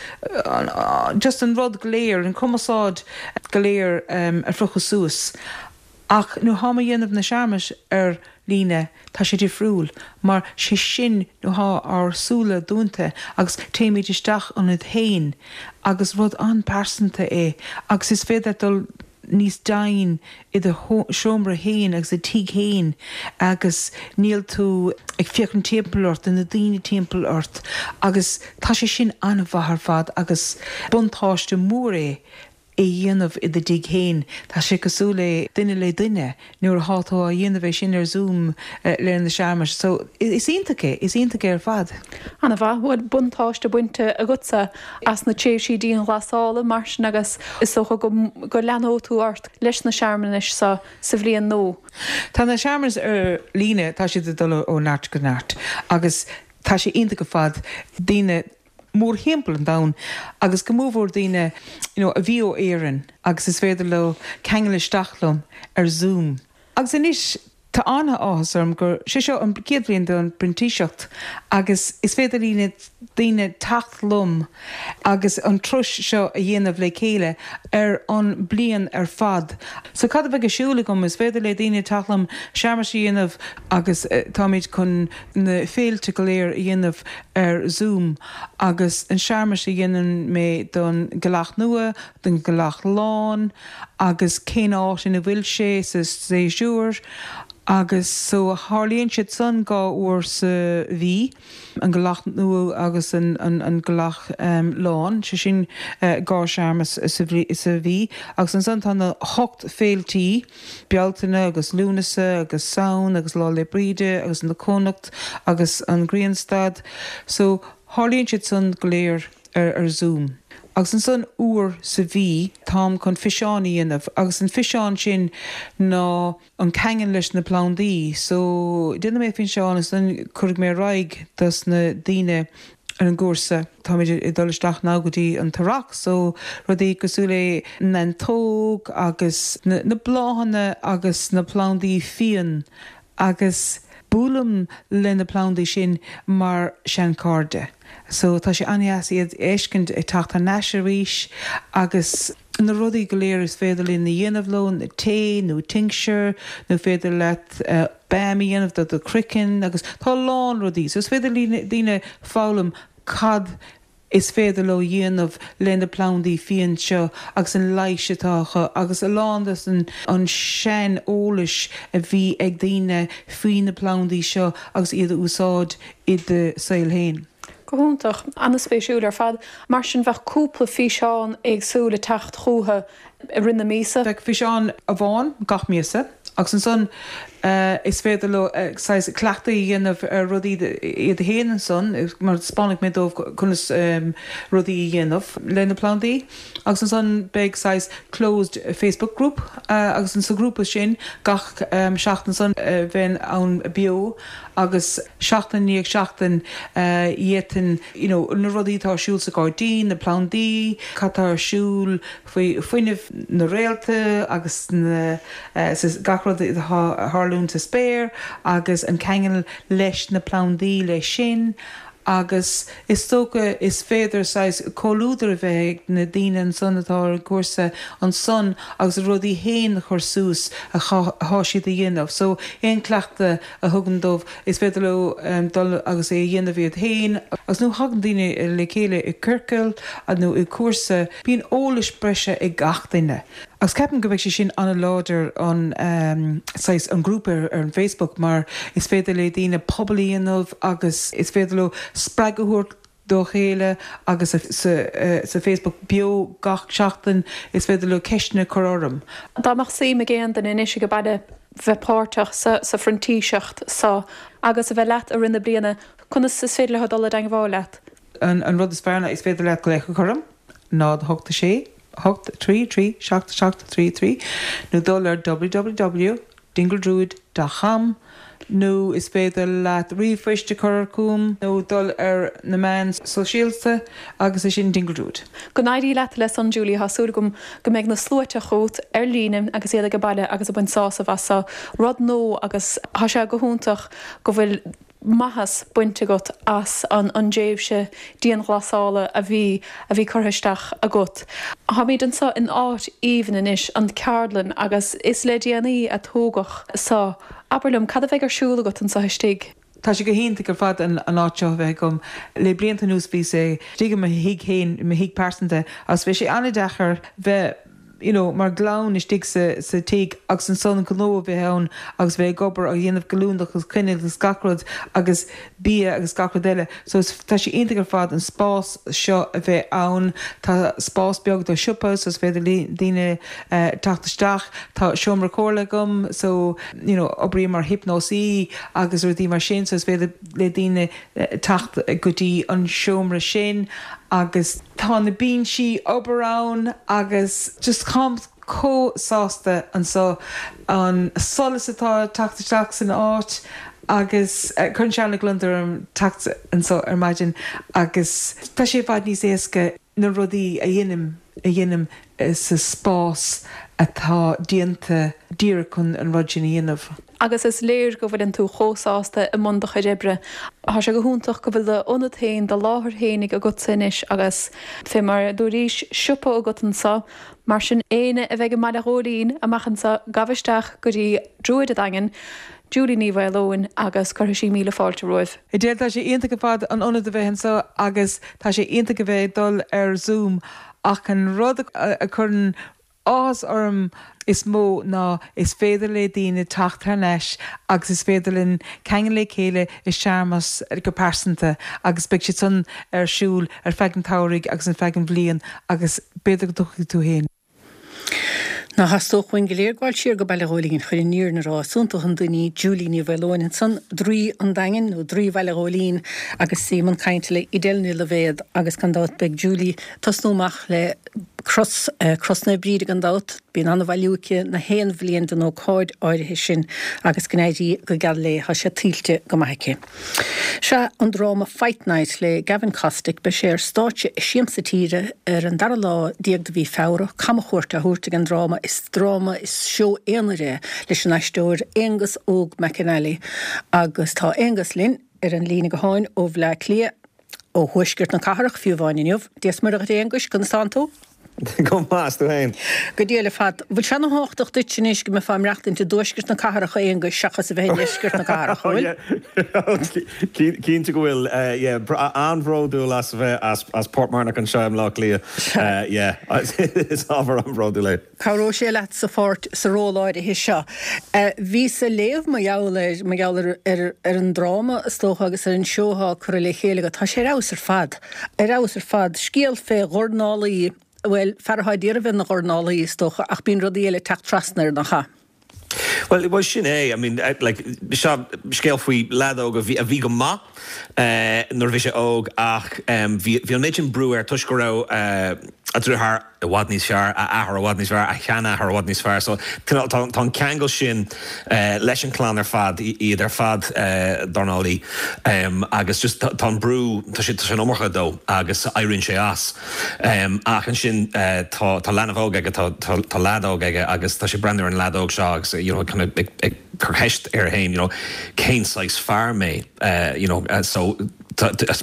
Speaker 4: uh, just an rud go léir an cumarsáid go léir um, a phiocadh suas. Ach nuair atá mé ag déanamh na searmanais ar líne tá sé difriúil, mar sé sin nuair atá ár súile dúnta agus téimid isteach ionainn féin agus rud an-pearsanta é agus is féidir dul níos doimhne i do seomra féin agus i do thigh féin agus níl tú ag féachaint timpeall ort na daoine timpeall ort agus tá sé sin an-mhaith ar fad agus buntáiste mór é é dhéanamh i do thigh féin Tá sé cosúil le duine le duine nuair atá tú á dhéanamh é sin ar Zoom uh, le na searmanais, so is iontach é is iontach é ar fad.
Speaker 5: An-mhaith bhfuil buntáiste bainte agatsa as na tréimhsí dianghlasála mar sin agus is dócha go, go leanfaidh tú ort leis na searmanais sa sa bhliain nua.
Speaker 4: Tá na searmanais ar líne tá siad ag dul ó neart go neart agus tá sé iontach ar fad daoine mórthimpeall an domhain agus go mórmhór daoine you know, a bhí ó Éirinn agus is féidir leo ceangal isteach liom ar Zoom. Agus anois tá an-áthas orm gur sé seo an chéad bhliain don bprintíseacht agus is féidir le daoine teacht liom agus an turas seo a dhéanamh le chéile ar an bliain ar fad. So cad a bheidh ar siúl agam is féidir le daoine teacht liom searmanais a dhéanamh agus uh, táimid chun na féilte go léir a dhéanamh ar Zoom agus an searmanas a dhéanann mé don Ghealach Nua, don Ghealach Lán agus cén áit ina bhfuil sé sa séasúr agus so tarlaíonn siad san dhá uair sa mhí an Ghealach Nua agus an, an, an Ghealach um, Lán sé sin uh, dhá searmanas sa mhí agus ansan tá na hocht féiltí Bealtaine agus Lúnasa agus Samhain agus Lá 'le Bríde agus na Cónacht agus an Grianstad so tarlaíonn siad san go léir ar, ar Zoom. Agus ansan uair sa mhí táim chun físeán a dhéanamh agus an físeán sin ná an ceangal leis na plandaí, so déanfaidh mé físeán is an chuirfidh mé ar aghaidh dos na daoine ar an gcúrsa Táimid ag dul isteach now go dtí an t-earrach, so rudaí cosúil le neantóg agus na, na bláthanna agus na plandaí fiáin agus buailim le na plandaí sin mar seanchairde. So tá sé an-deas iad a fheiscint ag teacht aníos arís agus na rudaí go léir is féidir linn a dhéanamh leo na tae nó tincture nó féidir leat uh, balm a dhéanamh do do chraiceann agus tá lán rudaí, so is féidir daoine foghlaim cad is féidir leo dhéanamh le na plandaí fiáin seo agus an leigheas atá acu agus a lán an an sean-eolais a bhí ag daoine faoi na plandaí seo agus iad a úsáid i do saol féin.
Speaker 5: Go hiontach an-spéisiúil ar fad, mar sin bheadh cúpla físeán éagsúla ag teacht chucu i rith na míosa.
Speaker 4: Bheadh físeán amháin gach míosa agus ansan uh, is féidir leo uh, cleachtadh a dhéanamh ar rudaí iad féin ansan mar taispeánfaidh mé dóibh conas um, rudaí a dhéanamh le na plandaí agus ansan beidh saghas closed Facebook group uh, agus an sa grúpa sin gach um, seachtain san uh, bheinn ann beo agus seachtain i ndiaidh seachtain uh, dhéanfainn you know, na rudaí atá ar siúl sa ghairdín, na plandaí, cad tá ar siúl faoi fuinneamh na réalta agus na, uh, gach rud atá ag tarlú sa spéir agus an ceangal leis na plandaí leis sin agus is dócha is féidir saghas comhluadar a bheith na daoine ansan atá ar cúrsa ansan agus rudaí féin chur suas atá siad a dhéanamh. So aon cleachtadh a thugaim dóibh is féidir leo um, dul agus é a dhéanamh iad féin agus nuair a thagann daoine le chéile i ciorcal nó i cúrsa bíonn eolas breise ag gach duine. Agus ceapaim go bheidh sé sin an-láidir an um, an grúpa ar, ar an Facebook mar is féidir le daoine pobal a dhéanamh agus is féidir leo spreagadh a thabhairt dá chéile agus sa, sa Facebook beo gach seachtain is féidir leo ceisteanna a chur orm.
Speaker 5: Dá mbeadh suim ag aon duine anois ag baile bheith páirteach sa, sa phrintíseacht so agus a bheith leat i rith na bliana conas is féidir leo dul i dteagmháil leat.
Speaker 4: An, an rud is fearr is féidir leat glaoch a chur orm náid a hocht sé hocht trí trí seacht seacht trí trí nó dul ar www.dingledruid.com nó is féidir leat ríomhphost a chur chugam nó dul ar na meáin sóisialta agus é sin Dingle Druid.
Speaker 5: Go n-éirí leat leis an Julie tá súil agam go mbeidh na sluaite chugat ar líne agus iad ag baile agus ag baint sásamh as rud nua agus tá sé go hiontach go bhfuil maitheas bainte agat as an an tréimhse dianghlasála a bhí a bhí curtha isteach agat. Táimid anseo in áit aoibhinn anois an ceardlann agus is le déanaí a tógadh seo. Abair liom cad a bheidh ar siúl agat anseo istigh.
Speaker 4: Tá sé go hiontach ar fad an an áit seo bheith agam le blianta anuas bhí sé istigh i mo thigh féin mo thigh pearsanta agus bhí sé an-deacair bheith you know, mar chlann istigh sa, sa tigh agus ansan gnó a bheith ann agus bheith ag obair agus dhéanamh galúndach agus coinneal agus gach rud agus bia agus gach rud eile. So tá sé iontach ar fad an spás seo a bheith ann Tá spás beag do siopa so is féidir le daoine uh, teacht isteach Tá seomra comhairle agam so you know, oibrím mar hiopnósaí agus rudaí mar sin so is féidir le daoine uh, teacht go dtí an seomra sin agus tá na binsí obair ann agus just táim chomh sásta anseo an solas atá teacht isteach san áit agus uh, chun se na glundar an teacht anseo ar maidin agus tá sé i bhfad níos éasca na rudaí a dhéanaim a dhéanaim uh, sa spás atá déanta díreach chun an rud sin a dhéanamh.
Speaker 5: Agus is léir go bhfuil tú chomh sásta i mbun do chuid oibre. Tá sé go hiontach go bhfuil d'ionad féin do láthair fhéinig agat anois agus fé mar dúraís siopa agat anseo, mar sin éinne a bheidh i mBaile Ghóilín amach anseo gabh isteach go dtí Druid an Daingin, Julie Ní Mhaoileoin agus cuirfidh sí míle fáilte romhaibh.
Speaker 4: Edel tá sé iontach ar fad an ionad a bheith anseo agus tá sé iontach a bheith dul ar Zoom ach an rud a chuireann áthas orm is mó ná is féidir le daoine teacht thar n-ais agus is féidir linn ceangal le chéile i searmanas go pearsanta agus beidh siad san ar siúl ar feadh an tsamhraidh agus an feadh an bhliain agus b'fhéidir go dtiocfaidh tú féin.
Speaker 1: Ná theastódh uainn go léir gabháil siar go Baile Ghóilín chun an fhírinne a rá is iontach an duine í Julie Ní Mhaoileoin ansan Draoi an Daingin nó Draoi Bhaile Ghóilín agus í i mbun cainte le Edel Ní Loibhéad agus gan dabht beidh Julie tosnú amach le cros eh, Cros Naomh Bríd gan dabht bíonn an-bhailiú aici na haon bhliain den ócáid áirithe sin agus go n-éirí go geal léi tá sé tuillte go maith aici. Sea an dráma Fight Night le Gavin Kostick beidh sé ar stáitse i Siamsa Tíre ar an dara lá déag de mhí Feabhra camchuairt á thabhairt ag an dráma is dráma is seó aonair é leis an aisteoir Aonghus Óg McAnally agus tá Aonghus linn ar an líne gutháin ó Bhleá Cliath ó thuaisceart na cathrach fiú amháin inniu. Dia is Muire dhuit Aonghus conas tánn tú?
Speaker 6: Go maith tú féin.
Speaker 1: Go diail ar fad. Bhfuil sé an-thábhachtach duit anois go mbeifeá ag maireachtaint i dtuaisceart na cathrach a Aonghuis seachas a bheith i ndeisceart na cathrach bhfuil?
Speaker 6: Cinnte go bhfuil an-bhródúil as bheith as Portmarnock anseo i mBleá Cliath. Is ábhar an-bhródúil é.
Speaker 1: Cabhróidh sé leat sa pháirt sa ról áirithe seo. Bhíos ag léamh mar gheall ar mar gheall ar ar an dráma is dócha agus ar an seó atá curtha le chéile agat. Tá sé ar fheabhas ar fad. Ar fheabhas ar fad. Scéal fé dhornálaí bhuel fear atá ag iarraidh a bheith ina dhornálaí is dócha ach bíonn rudaí eile ag teacht trasna air nach ea?
Speaker 6: Well well sin é I mean like seo scéal faoi leaid óg a bhí a bhí go maith uh, nuair a bhí sé óg ach um, bhí bhí an méid sin brú air toisc go raibh uh, a dheartháir i bhfad níos fearr, a athair i bhfad níos fearr, a sheanathair i bhfad níos fearr, so tá tá an ceangal sin uh, leis an clann ar fad iad ar fad uh, dornálaí um, agus just tá an brú tá sé tá sé an iomarca dó agus éiríonn sé as. Um, ach ansin uh, tá tá leanbh óg aige tá tá tá leaid óg aige agus tá sé ag breathnú ar an leaid óg seo agus you know, kind of ag, ag cur ceist air féin you know, cén saghas fear mé uh, you know, uh, so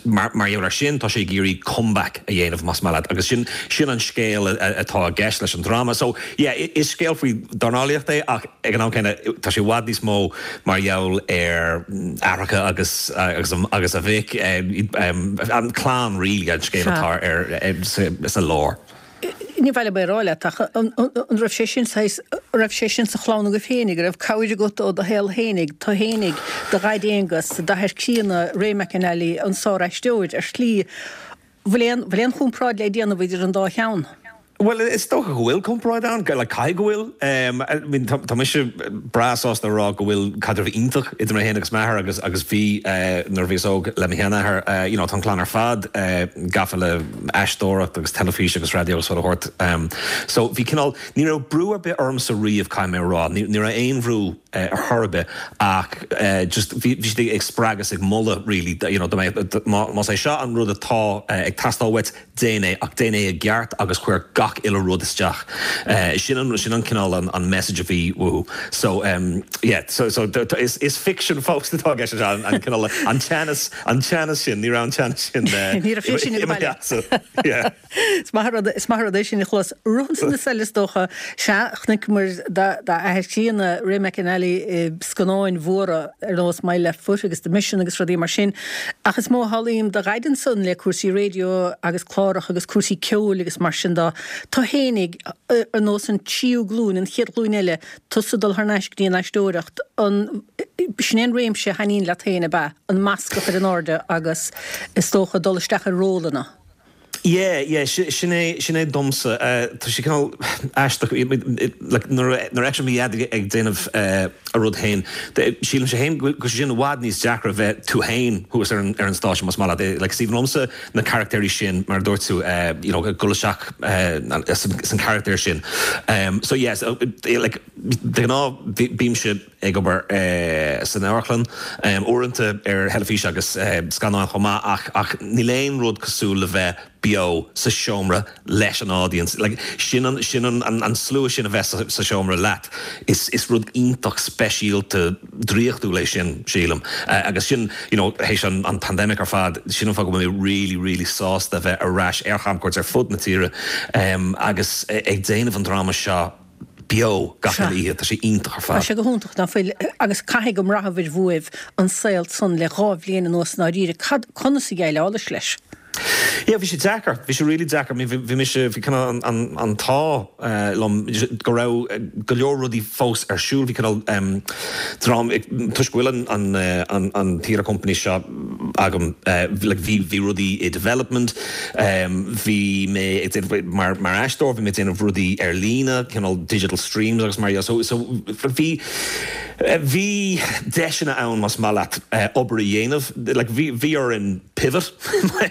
Speaker 6: mar mar gheall ar sin tá sé ag iarraidh comeback a dhéanamh más maith leat agus sin sin an scéal atá i gceist leis an dráma. So yeah, is scéal faoi dornálaíocht é ach ag an am céanna tá sé i bhfad níos mó mar gheall ar aithreacha agus agus agus a mhic an clann really an scéal atá ar sa lár.
Speaker 1: Ní bhile mé rá leat ach an raibh sé sin raibh sé sin sa chlann agaibh féinig, go raibh cabhair agat ó do shaol féinig, tú féinig, do dhaid Aonghus, d'athair críonna Ray McAnally an sáraisteoir ar shlí. Bhfuil aon bhfuil aon chomparáid le déanamh idir an dá cheann?
Speaker 6: Well, is dócha go bhfuil comparáid ann, like caithfidh go bhfuil. Um, I mean, tá tá mise breá sásta a rá go bhfuil caidreamh iontach idir mé féin agus m'athair agus agus bhí uh, nuair a bhíos óg le mo sheanathair, uh, you know, tá an clann ar fad uh, gafa le aisteoireacht agus teilifís agus raidió agus chuile shórt. Um, so bhí cineál ní raibh brú ar bith ormsa riamh caithfidh mé a rá, ní ní raibh aon bhrú uh, ar chor ar bith ach uh, just bhí bhí siad ag spreagadh is ag moladh really, you know, dá mbeadh- má más é seo an rud atá uh, ag teastáil uait déan é ach déan é i gceart agus cuir gach uile rud isteach. Uh, sin an sin an cineál an, an message a bhí uathu. So um, yeah, so, so d- d- is, is fiction fós atá ceist an, an cineál an teannas an teannas sin ní raibh an teannas sin uh,
Speaker 1: Ní raibh sé sin ag baile.
Speaker 6: so, yeah.
Speaker 1: Is maith rud is maith rud é sin a chlos ruhan san na seile dócha se chonaic muid d'athair críonna Ray McAnally i scannáin mhóra ar nós My Left Foot agus The Mission agus rudaí mar sin. Ach is mó halaím do gaidan san le cúrsaí raidió agus cláracha agus cúrsaí ceoil agus mar sin dá Tá fhéinig ar nós an tríú glúin an chéad ghlúin eile tusa dul thar n-ais go dtí an aisteoireacht an sin an réimse a thaitníonn leat féin ab ea an masc a chur in airde agus is dócha dul isteach i rólanna.
Speaker 6: Yeah, yeah, sin é sin é domsa uh, tá sé cineál aisteach like, nuair nuair a bhí ag ag déanamh uh, a rud féin sílim sé féin go sin i bhfad níos deacra bheith tú féin thuas ar an ar an stáitse más maith leat like Stephen liomsa na carachtéirí sin mar dúirt tú uh, you know, dul isteach uh, san charachtar sin. Um, so yes, uh, like, de ghnáth bímse ag obair uh, san amharclann um, uaireanta ar theilifís agus uh, scannáin chomh maith ach ach níl aon rud cosúil le bheith beo sa seomra leis an audience. Like, sin an, sin an, an, an slua sin a bheith sa, sa seomra leat. Is, is rud iontach speisialta draíochtúil é sin sílim. Uh, agus sin you know, théis an, an pandemic ar fad sin an fáth go mé really really sásta bheith ar ais ar chamcuairt ar fud na tíre um, agus ag déanamh an dráma seo beo gach
Speaker 1: Sea.
Speaker 6: oíche tá sé iontach ar
Speaker 1: Tá
Speaker 6: fad.
Speaker 1: sé go hiontach ná fuil agus caithfidh go mbraithibh uaibh an saol san le dhá bhliain anuas dáiríre cad conas a dhéileálaibh leis.
Speaker 6: Yeah, bhí sé deacair, bhí sé really deacair, bhí bhí mise bhí cineál an, an, an t-ádh uh, liom go raibh eh, go leor rudaí fós ar siúl bhí cineál um, dream toisc go bhfuil an, an, eh, an, an theatre company seo agam uh, like, bhí bhí rudaí i development um, bhí mé ag déanamh- mar mar aisteoir bhí mé ag déanamh rudaí ar líne cineál digital streams agus mar so so bhí eh, bhí deiseanna ann más maith leat uh, obair a dhéanamh like, bhí bhí orainn pivot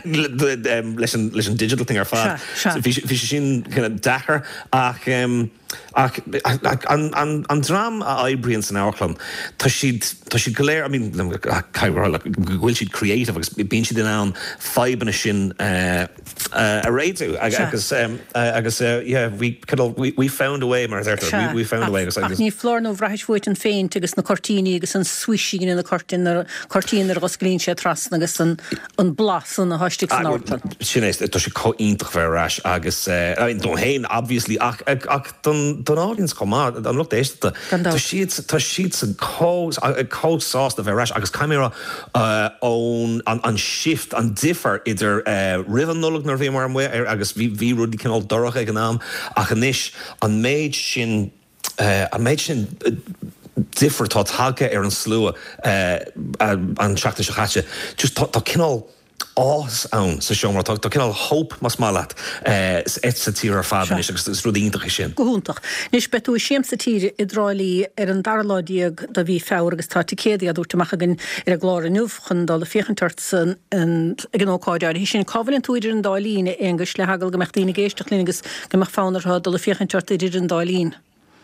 Speaker 6: um, leis an leis an digital thing ar fad.
Speaker 1: Sea, sea.
Speaker 6: So bhí bhí sé sin kind of deacair ach um, ach ach an, an, an dream a oibríonn san amharclann tá siad tá siad go léir I mean go bhfuil siad creative agus bíonn siad in ann fadhbanna sin uh, uh, a réiteach
Speaker 1: Sea.
Speaker 6: agus um, uh, agus uh, yeah we kind of, we, we found a way mar a we, we found a way agus,
Speaker 1: Ach
Speaker 6: agus
Speaker 1: ní foláir nó bhraithis uait an phéint agus na cuirtíní agus an swishing na cuirtín cuirtín ar osclaíonn sé trasna agus an an blas an na heistigh san amharclann.
Speaker 6: sin é tá sé chomh hiontach bheith ar ais agus uh, I mean, dom féin obviously ach ach, ach don don audience chomh maith an lucht éisteachta
Speaker 1: Gan dabht.
Speaker 6: Tá siad tá siad san chomh sásta bheith ar ais agus caimera uh, ón an, an shift an difear idir uh, roimh an Nollaig nuair a bhí mar amuigh ar agus bhí bhí rudaí cineál dorcha ag an am ach anois an méid sin uh, an méid sin uh, difear tá tagtha ar an slua uh, an seachtain seo caite just tá tá cineál áthas ann sa seomra tá tá cineál hope más maith leat uh, sa tír ar fad anois agus is rud iontach é sin.
Speaker 1: Go hiontach. Anois beidh tú i Siamsa Tíre i dTrá Lí ar an dara lá déag de mhí Feabhra agus tá ticéidí á dtabhairt amach againn ar an gclár inniu chun dul ag féachaint ort san ag an ócáid áirithe sin cá bhfuil tú idir an dá linn Aonghus le heagla go mbeadh daoine ag éisteacht linn agus go mbeadh fonn orthu dul ag féachaint ort idir an dá linn.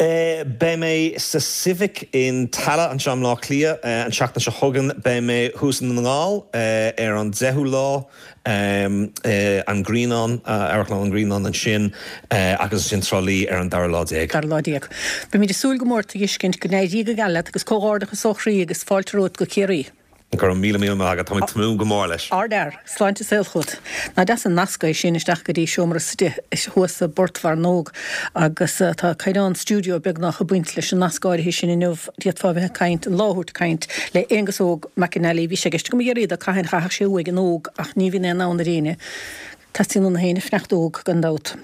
Speaker 6: Uh, Beidh mé sa Civic in Tallaght anseo i mBaile Átha Cliath uh, an seachtain seo chugainn beidh mé thuas i nDún na nGall uh, ar an deichiú lá um, uh, an Grianán uh, Amharclann an Grianán ansin uh, agus sin Trá Lí ar an dara lá déag.
Speaker 1: Dara lá déag. Beimid ag súil go mór tuiscint go n-éirí go geal leat agus comhghairdeachas ó chroí agus fáilte romhat go Ciarraí.
Speaker 6: Go raibh míle míle maith agat tá tnúth go mór leis.
Speaker 1: Ardfhear, sláinte saol chugat. Nach deas an nasc é sin isteach go dtí seomra thuas sa bPort Mhearnóg agus uh, tá caighdeán stiúideo beagnach ag baint leis an nasc áirithe sin inniu d'fhéadfá bheith ag caint an lá ag caint le Aonghus Óg McAnally bhí sé i gceist go iarraidh a caithfidh chaithfeadh sé uaidh an óg ach ní bhíonn aon ann ar éinne. Teastaíonn na héinne fanacht óg gan dabht.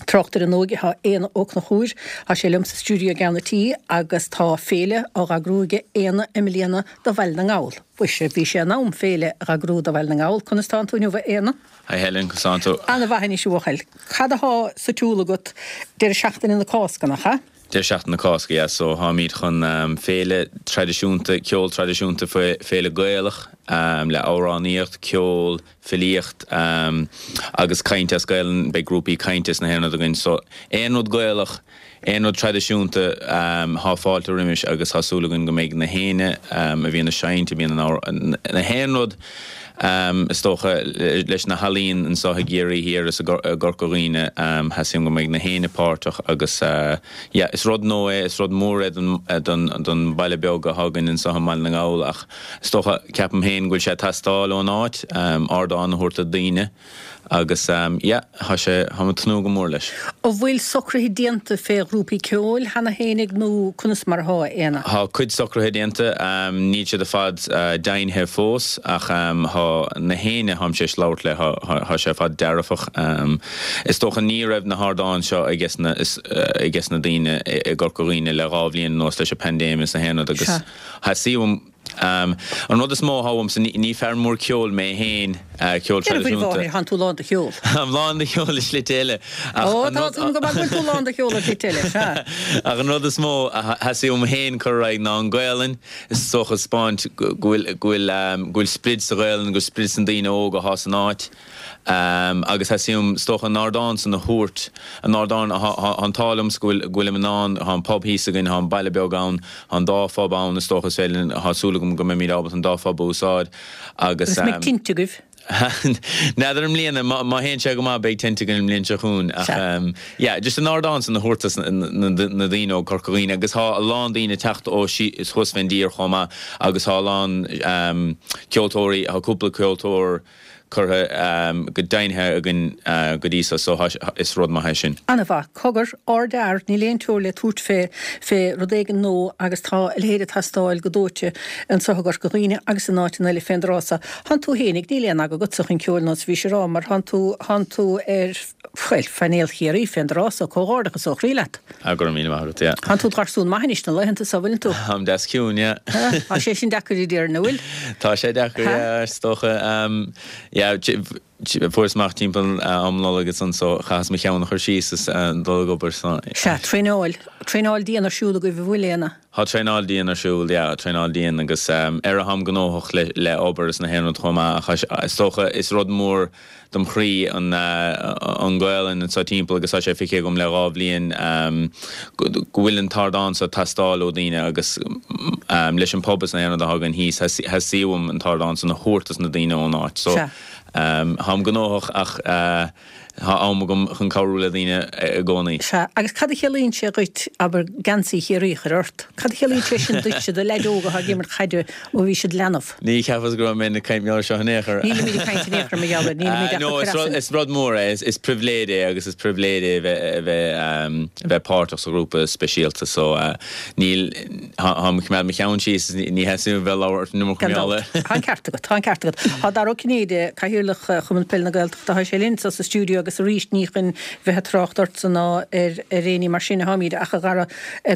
Speaker 1: Tráchtaire na n-óige thá Éanna Ó Conchúir, thá sé liom sa stiúideo i gceann an tí agus tá féile á dh'eagrú aige Éanna i mbliana do Bhaile na nGall. Mhuise, bhí sé in am féile a dh'eagrú do Bhaile na nGall. Conas tánn tú inniu a Éanna?
Speaker 7: Hi Helen, conas tánn tú?
Speaker 1: Ana mhaith anois a bhuachaill. Cad athá sa tsiúl agat deireadh seachtaine na Cásca, nach ea?
Speaker 7: Deireadh seachtaine na Cásca, yeah, so tháimid chun féile traidisiúnta, ceol traidisiúnta, féile Gaelach le amhránaíocht, ceol, filíocht agus caint as Gaelainn, beidh grúpaí cainte is na haon rud againn. So aon rud Gaelach, aon rud traidisiúnta, thá fáilte roimis agus thá súil againn go mbeidh na héinne a bhíonn ag seinnt, a bhíonn in na haon rud Is dócha, leis na healaíon anseo i gCiarraí Thiar is i gCorca Dhuibhne, theastaíonn go mbeidh na héinne páirteach agus yeah, is rud nua é, is rud mór é don don baile beag atá againn anseo i mBaile na nGall ach is dócha, ceapaim féin go bhfuil sé ag teastáil ón áit, ardán a thabhairt do daoine. Agus yeah, thá sé, tháim ag tnúth go mór leis.
Speaker 1: An bhfuil socruithe déanta fé ghrúpaí ceoil cheana fhéinig nó conas mar athá, a Éanna?
Speaker 7: Thá cuid socruithe déanta, níl siad ar fad deimhnithe fós ach thá na héinne tháim tar éis labhairt le, thá sé ar fad dearfach. Is dócha ní raibh na hardáin seo ages na, ages na daoine i gCorca Dhuibhne le dhá bhliain anuas leis an paindéim is na haon rud agus theastaigh uaim, An rud is mó atá uaimse, ní fear mór ceoil mé féin, ceol
Speaker 1: Deir faoi
Speaker 7: traidisiúnta.
Speaker 1: mháthair, thánn tú lán de cheol.
Speaker 7: Táim lán de cheol i slite eile. Ach
Speaker 1: Ó,
Speaker 7: an
Speaker 1: tá
Speaker 7: rud.
Speaker 1: súil agam go bhfuil tú lán de cheol i slite eile, sea.
Speaker 7: Ach an rud is mó a theastaigh uaim féin cur ar aghaidh ná an Ghaelainn, is dócha 'spáint go bhfuil, go bhfuil, go bhfuil sprid sa Ghaelainn, go bhfuil sprid sna daoine óga athá san áit. Agus theastaigh uaim, is dócha, an ardán san a thabhairt, an ardán, thá an t-ádh liomsa go bhfuil, go bhfuilim in ann, thá an pub thíos againn, thá an baile beag ann, thá an dá phub ann, is dócha, is féidir linn, thá súil agam go mbeimid ábalta an dá phub a úsáid agus.
Speaker 1: Agus an mbeidh tinte agaibh?
Speaker 7: N'fheadar i mbliana, má théann sé go maith beidh tinte againn an bhliain seo chugainn ach yeah, just an ardán san a thabhairt dos na daoine ó Corca Dhuibhne agus thá a lán daoine ag teacht ó thuas fén dtír chomh maith agus thá a lán ceoltóirí, thá cúpla ceoltóir curtha go deimhnithe againn go dtí so, so is rud maith é sin.
Speaker 1: Ana-mhaith. Cogar, ardfhear, níl aon teora le tabhairt fé, fé rud éigin nua agus tá a leithéid ag teastáil go dóite anso i gCorca Dhuibhne agus in áiteanna eile fén dtráth so. Thánn tú fhéinig, níl aon aga agatsa chun ceoil nós bhís a rá, mar thánn tú, thánn tú ar, bhuel, phainéal Chiarraí fén dtráth so, comhghairdeachas ó chroí leat.
Speaker 7: Ah, go raibh míle maith agat, yeah.
Speaker 1: Thánn tú id gharsún maith anois na laethanta so, bhfuileann tú?
Speaker 7: Táim deas ciúin, yeah.
Speaker 1: Tá sé sin deacair a déarfainn, an bhfuil?
Speaker 7: Tá sé deacair, yeah, is dócha. Yeah, fuaireas amach timpeall am Nollag ansan so chaitheas mo cheann a chur síos is dul ag obair so.
Speaker 1: Sea, traenáil. Traenáil dian ar siúl agaibh, an bhfuil, Éanna?
Speaker 7: Tá traenáil dian ar siúl, yeah, traenáil dian agus ar tháim gnóthach le le obair is na haon rud chomh maith ach is dócha is rud mór dom chroí an an Ghaelainn anseo timpeall agus tá sé feicthe agam le dhá bhliain go bhfuil an t-ardán seo ag teastáil ó daoine agus leis an pub is na haon rud atá againn thíos theastaigh uaim an t-ardán san a thabhairt dos na daoine ón áit so táim gnóthach ach tá am agam chun cabhrú le daoine i gcónaí.
Speaker 1: Sea, agus cad a chiallaíonn sé dhuit, abair, geansaí Chiarraí a chur ort? Cad a chiallaíonn sé sin duitse, do leaid óga atá ag imirt caide ó bhí siad leanbh?
Speaker 7: Ní cheapas go raibh mé ag caint mar seo in aon chor.
Speaker 1: Nílimid ag caint in aon chor, mar gheall air, nílimid ach ag
Speaker 7: No,
Speaker 1: cur
Speaker 7: is
Speaker 1: as
Speaker 7: rud,
Speaker 1: an.
Speaker 7: is rud mór é, is, is pribhléid é agus is pribhléid é a bheith, a bheith, a bheith páirteach sa ghrúpa speisialta so níl, táim ag coimeád mo cheann síos, ní theastaíonn uaim bheith ag labhairt an iomarca
Speaker 1: Gan
Speaker 7: mar gheall
Speaker 1: dabht.
Speaker 7: air.
Speaker 1: Tá an ceart agat, tá an ceart agat. Tá Dara Ó Cinnéide, Cathaoirleach Chumann Peile na Gaeltachta, tá sé linn sa stiúideo agus arís ní chun bheith ag trácht ortsa ná ar ar éinní mar sin a tháimid ach a Dhara,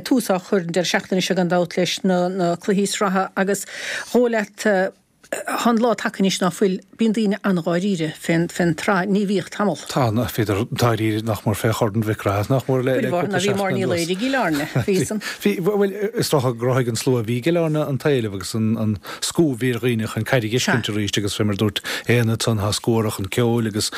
Speaker 1: tús á chur an deireadh seachtaine seo gan dabht leis na na cluichí sraithe agus dhóigh leat Tá an lá tagtha anois ná fuil, bíonn daoine an-dháiríre fén fén tsraith, ní bhíodh tamall.
Speaker 8: Tá, bhíodar dáiríre nach mór fé Chorn Mhic Craith, nach mór le
Speaker 1: Cuid mhaith
Speaker 8: cúpla
Speaker 1: ná bhí
Speaker 8: seachtain
Speaker 1: mar níl
Speaker 8: anuas.
Speaker 1: éire i gCill Airne, bhí san.
Speaker 8: Bhí, bhuel, is dócha gur chruthaigh an slua a bhí i gCill Airne an t-éileamh agus an an scuab a bhí ar dhaoine chun caid a
Speaker 1: Sea.
Speaker 8: fheiscint arís agus fé mar a dúirt Éanna ansan tá scuab orthu chun ceoil agus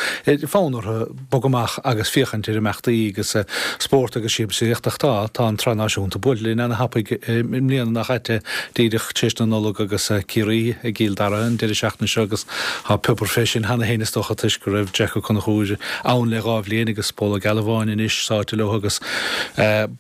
Speaker 8: fonn orthu bogadh amach agus féachaint ar imeachtaí agus spórt agus siamsaíocht ach tá, tá an tSraith Náisiúnta buailte linn ana-thapaidh i mbliana nach ait díreach tar éis na Nollag agus Ciarraí i gCill Dara an deireadh seachtaine seo agus tá piobar fé sin cheana féin is dócha toisc go raibh Jack Ó Conchúir ann le dhá bhliain agus Pól Ó Gealbháin anois sáite leo agus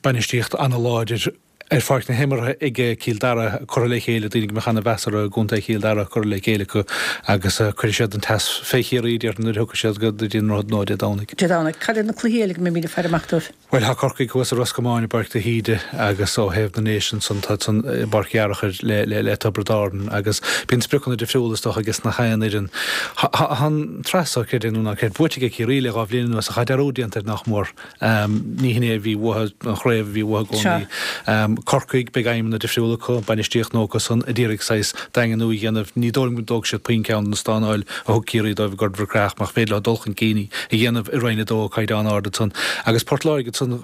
Speaker 8: bainistíocht ana-láidir ar pháirc na himeartha ag Cill Dara curtha le chéile, daoine go mbeadh ana-mheas orthu i gContae Chill Dara curtha le chéile acu agus cuirfidh siad an teas fé Chiarraí, déarfainn, nuair a thiocfaidh siad go dtí an Droichead Nua Dé Domhnaigh.
Speaker 1: Dé Domhnaigh. Cad iad na cluichí eile go mbeimid ag faire amach dóibh?
Speaker 8: Bhuel, tá Corcaigh thuas i Ros Comáin i bPáirc de hÍde agus ó thaobh na nDéise ansan tá san i bPáirc Uí Fhearchair le le le Tiobraid Árann agus bíonn spriocanna difriúla is dócha aige nach aon fhoireann. Tá an tsraith seo, creid é nó ná creid, buaite ag Ciarraí le dhá bhliain anuas ach tá dearúd déanta air nach mór. Ní hin é a bhí uathu, an chraobh a bhí uathu i gcónaí. Corcaigh, beidh aidhmeanna difriúla acu, bainistíocht nua acu san a d'iarraidh saghas daingniú a dhéanamh. Ní dóigh liom go dtógfaidh siad puinn ceann de na stánáil a thug Ciarraí dóibh i gCorn Mhic Craith ach nach féidir leo dul chun cinn a dhéanamh i Roinn a dó, caighdeán ard ansan. Agus Port Láirge ansan,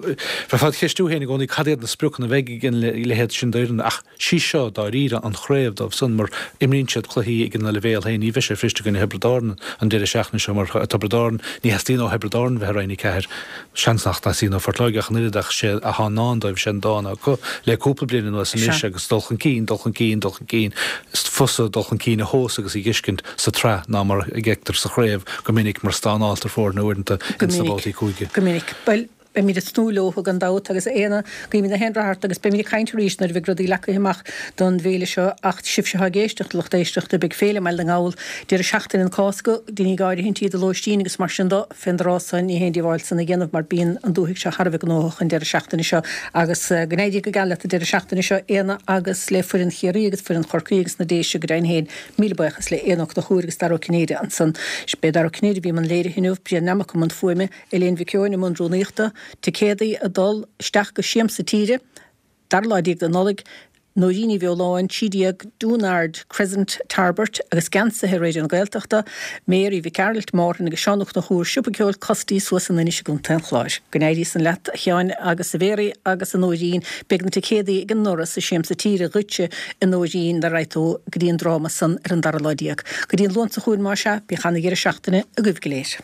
Speaker 8: bheifeá ag ceistiú féin i gcónaí cad iad na spriocanna a bheidh ag an leithéid sin d'fhoireann ach sí seo dáiríre an chraobh dóibh san mar imríonn siad cluichí ag ina leibhéal féin. Ní bheidh sé fuirist i gcoinne Thiobraid Árann an deireadh seachtaine seo mar Tiobraid Árann, ní theastaíonn ó Thiobraid Árann bheith i Roinn a ceathair. Seans nach dteastaíonn ó Phort Láirge ach an oiread ach sé atá i ndán dóibh, sé an dán acu le cúpla bliain anuas anois agus dul chun cinn, dul chun cinn, dul chun cinn. Is fusa dul chun cinn a thomhas agus a dh'fheiscint sa tsraith ná mar a fheictear sa chraobh go minic mar stánáltar foirne uaireanta ins na babhtaí cúige.
Speaker 1: Go minic. Bhuel, beimid ag tnúth leo gan dabht agus a Éanna, guímid gach aon rath ort agus beimid ag caint arís nuair a bheidh rudaí leagtha amach don bhféile seo ach sibhse atá ag éisteacht, a lucht éisteachta, beidh Féile i mBaile na nGall deireadh seachtaine na Cásca, deinigí áirithintí do lóistín agus mar sin do, fén dtráth san ní haon díobháil san a dhéanamh mar bíonn an dúthaigh seo thar a bheith gnóthach an deireadh seachtaine seo agus go n-éirí go geal leat an deireadh seachtaine seo Éanna agus le foireann Chiarraí agus foireann Chorcaí agus na Déise go deimhin féin. Míle buíochas le Éanna Ó Conchúir agus Dara Ó Cinnéide ansan. B'é Dara Ó Cinnéide a bhí i mbun léirithe inniu, Brian Nammock i mbun fuaime, Elaine Mhic Eoin i mbun rúnaíochta, Ticéadaí ag dul isteach go Siamsa Tíre, dara lá déag de Nollaig, Nóirín Ní Bheoláin, trí déag Doonaard Crescent, Tarbert, agus geansaithe Raidió na Gaeltachta, Mary Mhic Gearailt, Márthain agus Seán Ó Conchúir, Siopa Ceoil Costí suas in Inis i gContae an Chláir. Go n-éirí san leat, a Sheáin agus a Mhéaraí agus a Nóirín. Beidh na ticéadaí ag an ndoras i Siamsa Tíre dhuitse, a Nóirín, dá raghaidh tú go dtí an dráma san ar an dara lá déag. Go dtí an Luan seo chugainn más ea, bíodh ana-dheireadh seachtaine agaibh go léir.